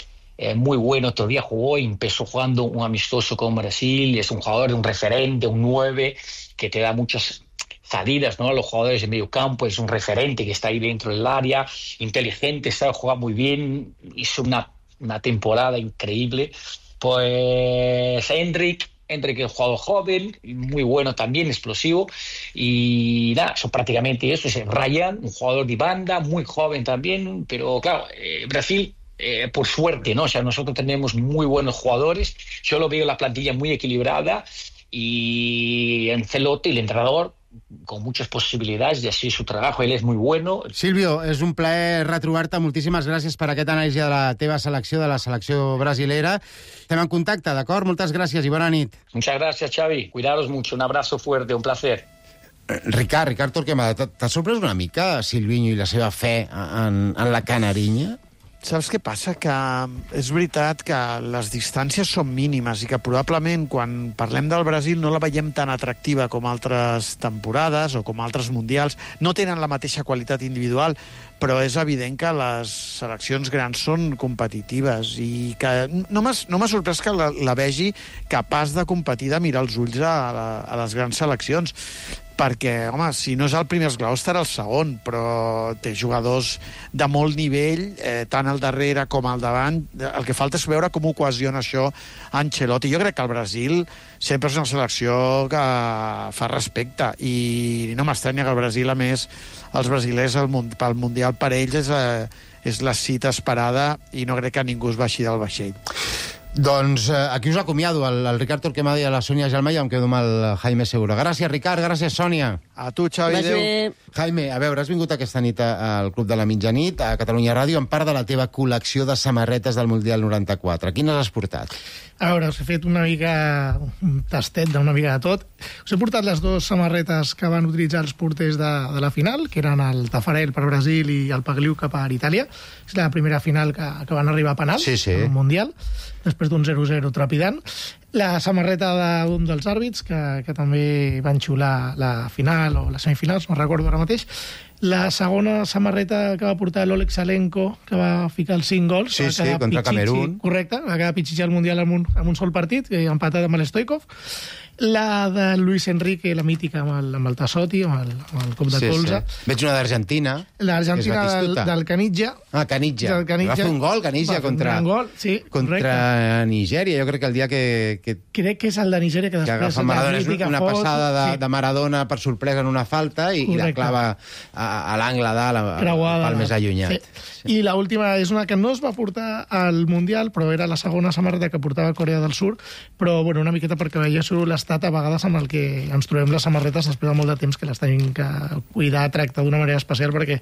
Speaker 20: muy bueno, otro día jugó y empezó jugando un amistoso con Brasil, es un jugador, un referente, un 9, que te da muchas salidas, ¿no? A los jugadores de medio campo, es un referente que está ahí dentro del área, inteligente, sabe jugar muy bien, hizo una temporada increíble. Pues Endrick es un jugador joven, muy bueno también, explosivo, y nada, son prácticamente eso. Es Ryan, un jugador de banda, muy joven también, pero claro, Brasil, por suerte, ¿no? O sea, nosotros tenemos muy buenos jugadores, yo lo veo la plantilla muy equilibrada, y Ancelotti, el entrenador, con muchas posibilidades de hacer su trabajo, él es muy bueno.
Speaker 2: Silvio, és un plaer retrobar-te, moltíssimes gràcies per aquest anàlisi de la teva selecció, de la selecció brasilera. Estem en contacte, d'acord? Moltes gràcies i bona nit.
Speaker 20: Muchas gracias, Xavi. Cuidaros mucho, un abrazo fuerte, un placer.
Speaker 2: Ricard Torquemada, t'ha sorprès una mica Silvinho i la seva fe en la canarinya?
Speaker 5: Saps què passa? Que és veritat que les distàncies són mínimes i que probablement quan parlem del Brasil no la veiem tan atractiva com altres temporades o com altres mundials. No tenen la mateixa qualitat individual, però és evident que les seleccions grans són competitives i que no m'ha sorprès que la vegi capaç de competir, de mirar els ulls a les grans seleccions. Perquè, home, si no és el primer esglaó estarà el segon, però té jugadors de molt nivell, tant al darrere com al davant. El que falta és veure com ho cohesiona això Ancelotti. Jo crec que el Brasil sempre és una selecció que fa respecte i no m'estranya que el Brasil, a més, els brasilers pel Mundial per ells és la cita esperada i no crec que ningú es baixi del vaixell.
Speaker 2: Doncs aquí us acomiado, el Ricard Torquemada i a la Sònia Jalma, i em quedo amb el Jaime Segura. Gràcies, Ricard, gràcies, Sònia.
Speaker 5: A tu, Xavi, adéu.
Speaker 2: Jaime, a veure, has vingut aquesta nit al Club de la Mitjanit, a Catalunya Ràdio, en part de la teva col·lecció de samarretes del Mundial 94. Quines has portat?
Speaker 6: A veure, us he fet una mica un tastet d'una mica de tot. Us he portat les 2 samarretes que van utilitzar els porters de la final, que eren el Taffarel per Brasil i el Pagliuca per Itàlia. És la primera final que van arribar a penals al Mundial, després d'un 0-0 trepidant. La samarreta d'un dels àrbits, que també van xular la final o les semifinals, no recordo ara mateix. La segona samarreta que va portar l'Oleg Salenko, que va ficar els 5 gols.
Speaker 2: Sí, contra Camerún.
Speaker 6: Correcte, va quedar pitxitxar al Mundial amb un sol partit, empatat amb l'Stoikov. La de Luis Enrique, la mítica, amb el Tassotti, amb el cop de colze.
Speaker 2: Veig una d'Argentina.
Speaker 6: L'Argentina del Caniggia.
Speaker 2: Caniggia. Va fer un gol, Caniggia, contra Nigèria. Jo crec que el dia que...
Speaker 6: Crec que és el de Nigèria, que després...
Speaker 2: agafa Maradona, és una passada de Maradona per sorpresa en una falta i la clava a l'angle dalt, pel més allunyat.
Speaker 6: I l'última és una que no es va portar al Mundial, però era la segona samarreta que portava Corea del Sur, però una miqueta perquè veiéssiu l'estat a vegades amb el que ens trobem les samarretes després de molt de temps que les tenim que cuidar, tractar d'una manera especial perquè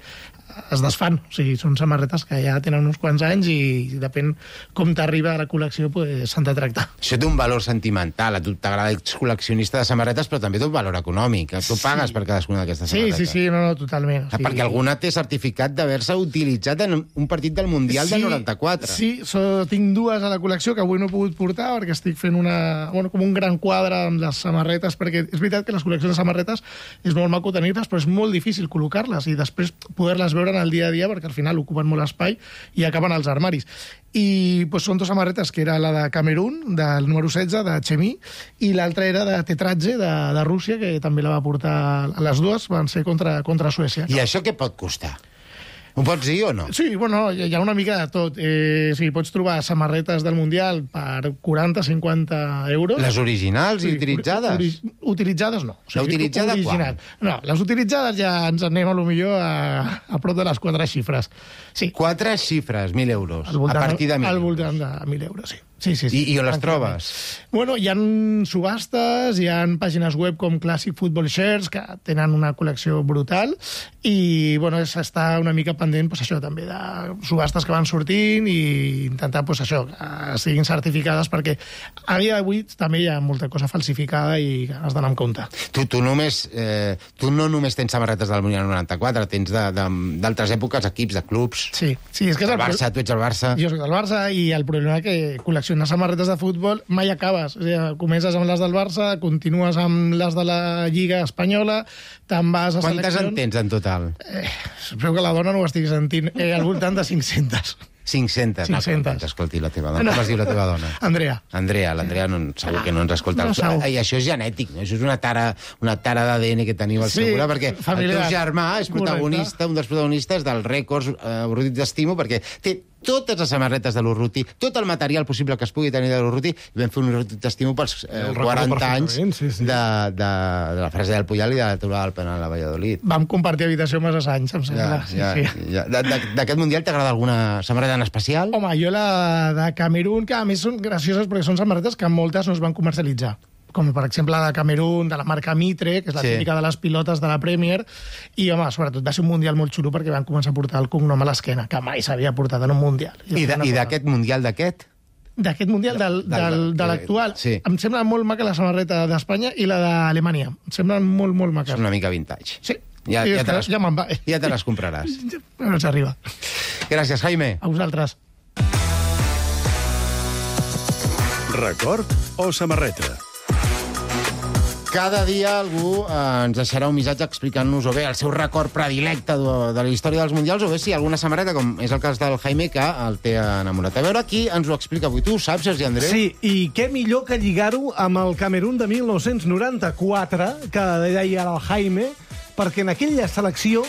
Speaker 6: es desfan. O sigui, són samarretes que ja tenen uns quants anys i depèn com t'arriba a la col·lecció, s'han de tractar.
Speaker 2: Això té un valor sentimental. A tu t'agrada, ets col·leccionista de samarretes, però també té un valor econòmic. Tu pagues per cadascuna d'aquestes samarretes.
Speaker 6: Sí, no, totalment.
Speaker 2: Perquè alguna té certificat d'haver-se utilitzat en un partit del Mundial del 94.
Speaker 6: Sí, tinc dues a la col·lecció que avui no he pogut portar perquè estic fent com un gran quadre amb les samarretes, perquè és veritat que les col·leccions de samarretes és molt maco tenir-les, però és molt difícil col·locar-les i després poder-les veure en el dia a dia, perquè al final ocupen molt espai i acaben als armaris. I són dues samarretes, que era la de Camerún, del número 16, de Chemí, i l'altra era de Tetradze, de Rússia, que també la va portar. Les dues van ser contra Suècia.
Speaker 2: I això què pot costar? Ho pots dir o no?
Speaker 6: Sí, hi ha una mica de tot. Pots trobar samarretes del Mundial per 40-50 euros.
Speaker 2: Les originals i utilitzades?
Speaker 6: Utilitzades no.
Speaker 2: La utilitzada quan?
Speaker 6: No, les utilitzades ja ens anem a lo millor a prop de les 4 xifres. Sí.
Speaker 2: 4 xifres, 1.000 euros. A partir de 1.000 euros.
Speaker 6: Al voltant de 1.000 euros, sí. Sí.
Speaker 2: I on les trobes?
Speaker 6: Hi ha subhastes, hi ha pàgines web com Classic Football Shares, que tenen una col·lecció brutal, i s'està una mica pendent això també de subhastes que van sortint i intentar que siguin certificades, perquè a dia d'avui també hi ha molta cosa falsificada i has d'anar amb compte.
Speaker 2: Tu no només tens samarretes del Mundial 94, tens d'altres èpoques, equips, de clubs.
Speaker 6: Sí, és que és
Speaker 2: el Barça, tu ets el Barça.
Speaker 6: Jo soc del Barça, i el problema és que col·leccionar samarretes de futbol mai acabes. O sigui, comences amb les del Barça, continues amb les de la Lliga Espanyola, te'n vas a seleccions...
Speaker 2: Quantes en tens en total?
Speaker 6: Espero que la dona no ho estigui sentint. Al voltant de 500.
Speaker 2: 500. No, escolti la teva dona. Com es diu la teva dona?
Speaker 6: Andrea.
Speaker 2: L'Andrea segur que no ens escolta. I això és genètic, no? Això és una tara d'ADN que teniu al segura, perquè el teu germà és protagonista, un dels protagonistes dels rècords Urruti d'Estimo, perquè té totes les samarretes de l'Urruti, tot el material possible que es pugui tenir de l'Urruti, i vam fer un Urruti d'Estimo pels 40 anys de la frase del Puyal i de la Torre del Penal a Valladolid.
Speaker 6: Vam compartir habitació massa anys, em sembla.
Speaker 2: D'aquest Mundial t'agrada alguna samarreta en especial?
Speaker 6: Home, jo la de Camerún, que a més són gracioses perquè són samarretes que moltes no es van comercialitzar, com per exemple la de Camerún, de la marca Mitre, que és la típica de les pilotes de la Premier, i, home, sobretot va ser un Mundial molt xulo perquè van començar a portar el cognom a l'esquena, que mai s'havia portat en un Mundial.
Speaker 2: I d'aquest Mundial d'aquest?
Speaker 6: D'aquest Mundial, de l'actual.
Speaker 2: Sí.
Speaker 6: Em sembla molt maca la samarreta d'Espanya i la d'Alemanya. Em semblen molt, molt maques.
Speaker 2: És una mica vintage.
Speaker 6: Sí.
Speaker 2: Ja te les compraràs.
Speaker 6: No ens arriba.
Speaker 2: Gràcies, Jaime.
Speaker 6: A vosaltres.
Speaker 3: Record o samarreta?
Speaker 2: Cada dia algú ens deixarà un missatge explicant-nos o bé el seu record predilecte de la història dels Mundials o bé si alguna samarreta, com és el cas del Jaime, que el té enamorat. A veure qui ens ho explica avui. Tu ho saps, Sergi Andreu?
Speaker 21: Sí, i què millor que lligar-ho amb el Camerún de 1994, que deia ara el Jaime, perquè en aquella selecció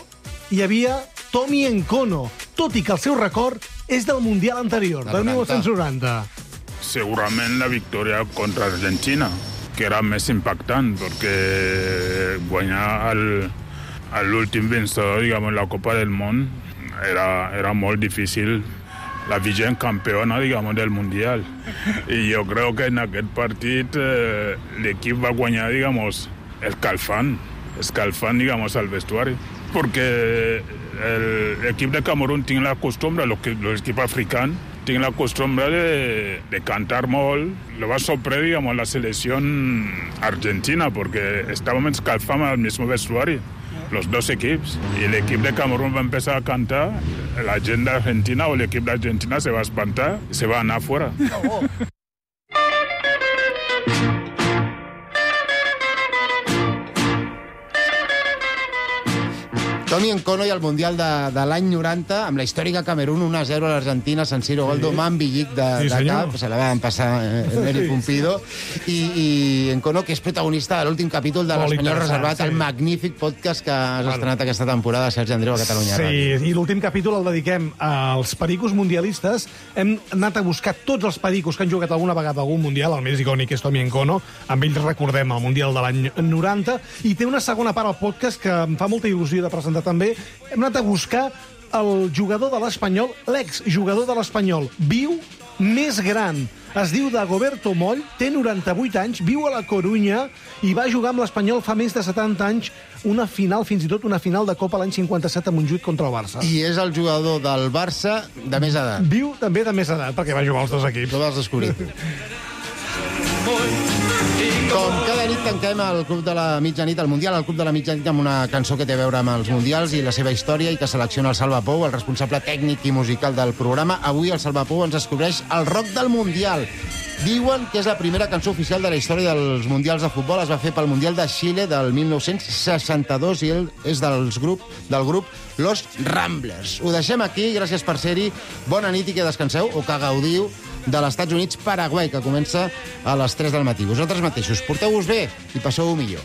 Speaker 21: hi havia Tommy Nkono, tot i que el seu record és del Mundial anterior, del 1990.
Speaker 22: Segurament la victòria contra Argentina, que era més impactant, perquè guanyar l'últim vencedor, diguem, en la Copa del Món era molt difícil. La vigent campeona, diguem, del Mundial. I jo crec que en aquest partit l'equip va guanyar, diguem, escalfant, diguem, al vestuari. Perquè l'equip de Camerún tinc la costumbre, l'equip africà, tinc la costumbre de cantar molt. Lo va sorprendre, digamos, la selección argentina, porque estábamos escalfando al mismo vestuario, los dos equipos. Y el equipo de Camerún va a empezar a cantar, la gente de Argentina o el equipo de Argentina se va a espantar y se va a anar fuera.
Speaker 2: Tommy Nkono i el Mundial de l'any 90, amb la històrica Camerún, 1-0 a l'Argentina, San Siro, gol d'Oman, Villic de cap, se la van passar Neri Pumpido, i Nkono, que és protagonista de l'últim capítol de l'Espanyol Reservat, el magnífic podcast que has estrenat aquesta temporada, Sergi Andreu, a Catalunya Ràdio.
Speaker 21: Sí, i l'últim capítol el dediquem als pericos mundialistes. Hem anat a buscar tots els pericos que han jugat alguna vegada algun mundial, el més icònic és Tommy Nkono, amb ells recordem el Mundial de l'any 90, i té una segona part al podcast que em fa molta il·lusió de presentar també. Hem anat a buscar el jugador de l'Espanyol, l'exjugador de l'Espanyol, viu, més gran. Es diu Dagoberto Moll, té 98 anys, viu a la Corunya i va jugar amb l'Espanyol fa més de 70 anys una final, fins i tot una final de Copa l'any 57 a Montjuïc contra el Barça.
Speaker 2: I és el jugador del Barça de més edat.
Speaker 21: Viu també de més edat, perquè va jugar als dos equips.
Speaker 2: Ho vas descobrir. Com cada nit tanquem el Club de la Mitjanit, el Mundial, el Club de la Mitjanit, amb una cançó que té a veure amb els Mundials i la seva història i que selecciona el Salva Pou, el responsable tècnic i musical del programa. Avui el Salva Pou ens descobreix el rock del Mundial. Diuen que és la primera cançó oficial de la història dels Mundials de futbol. Es va fer pel Mundial de Xile del 1962 i ell és del grup Los Ramblers. Ho deixem aquí, gràcies per ser-hi. Bona nit i que descanseu o que gaudiu de l'Estats Units-Paraguai, que comença a les 3 del matí. Vosaltres mateixos, porteu-vos bé i passeu-ho millor.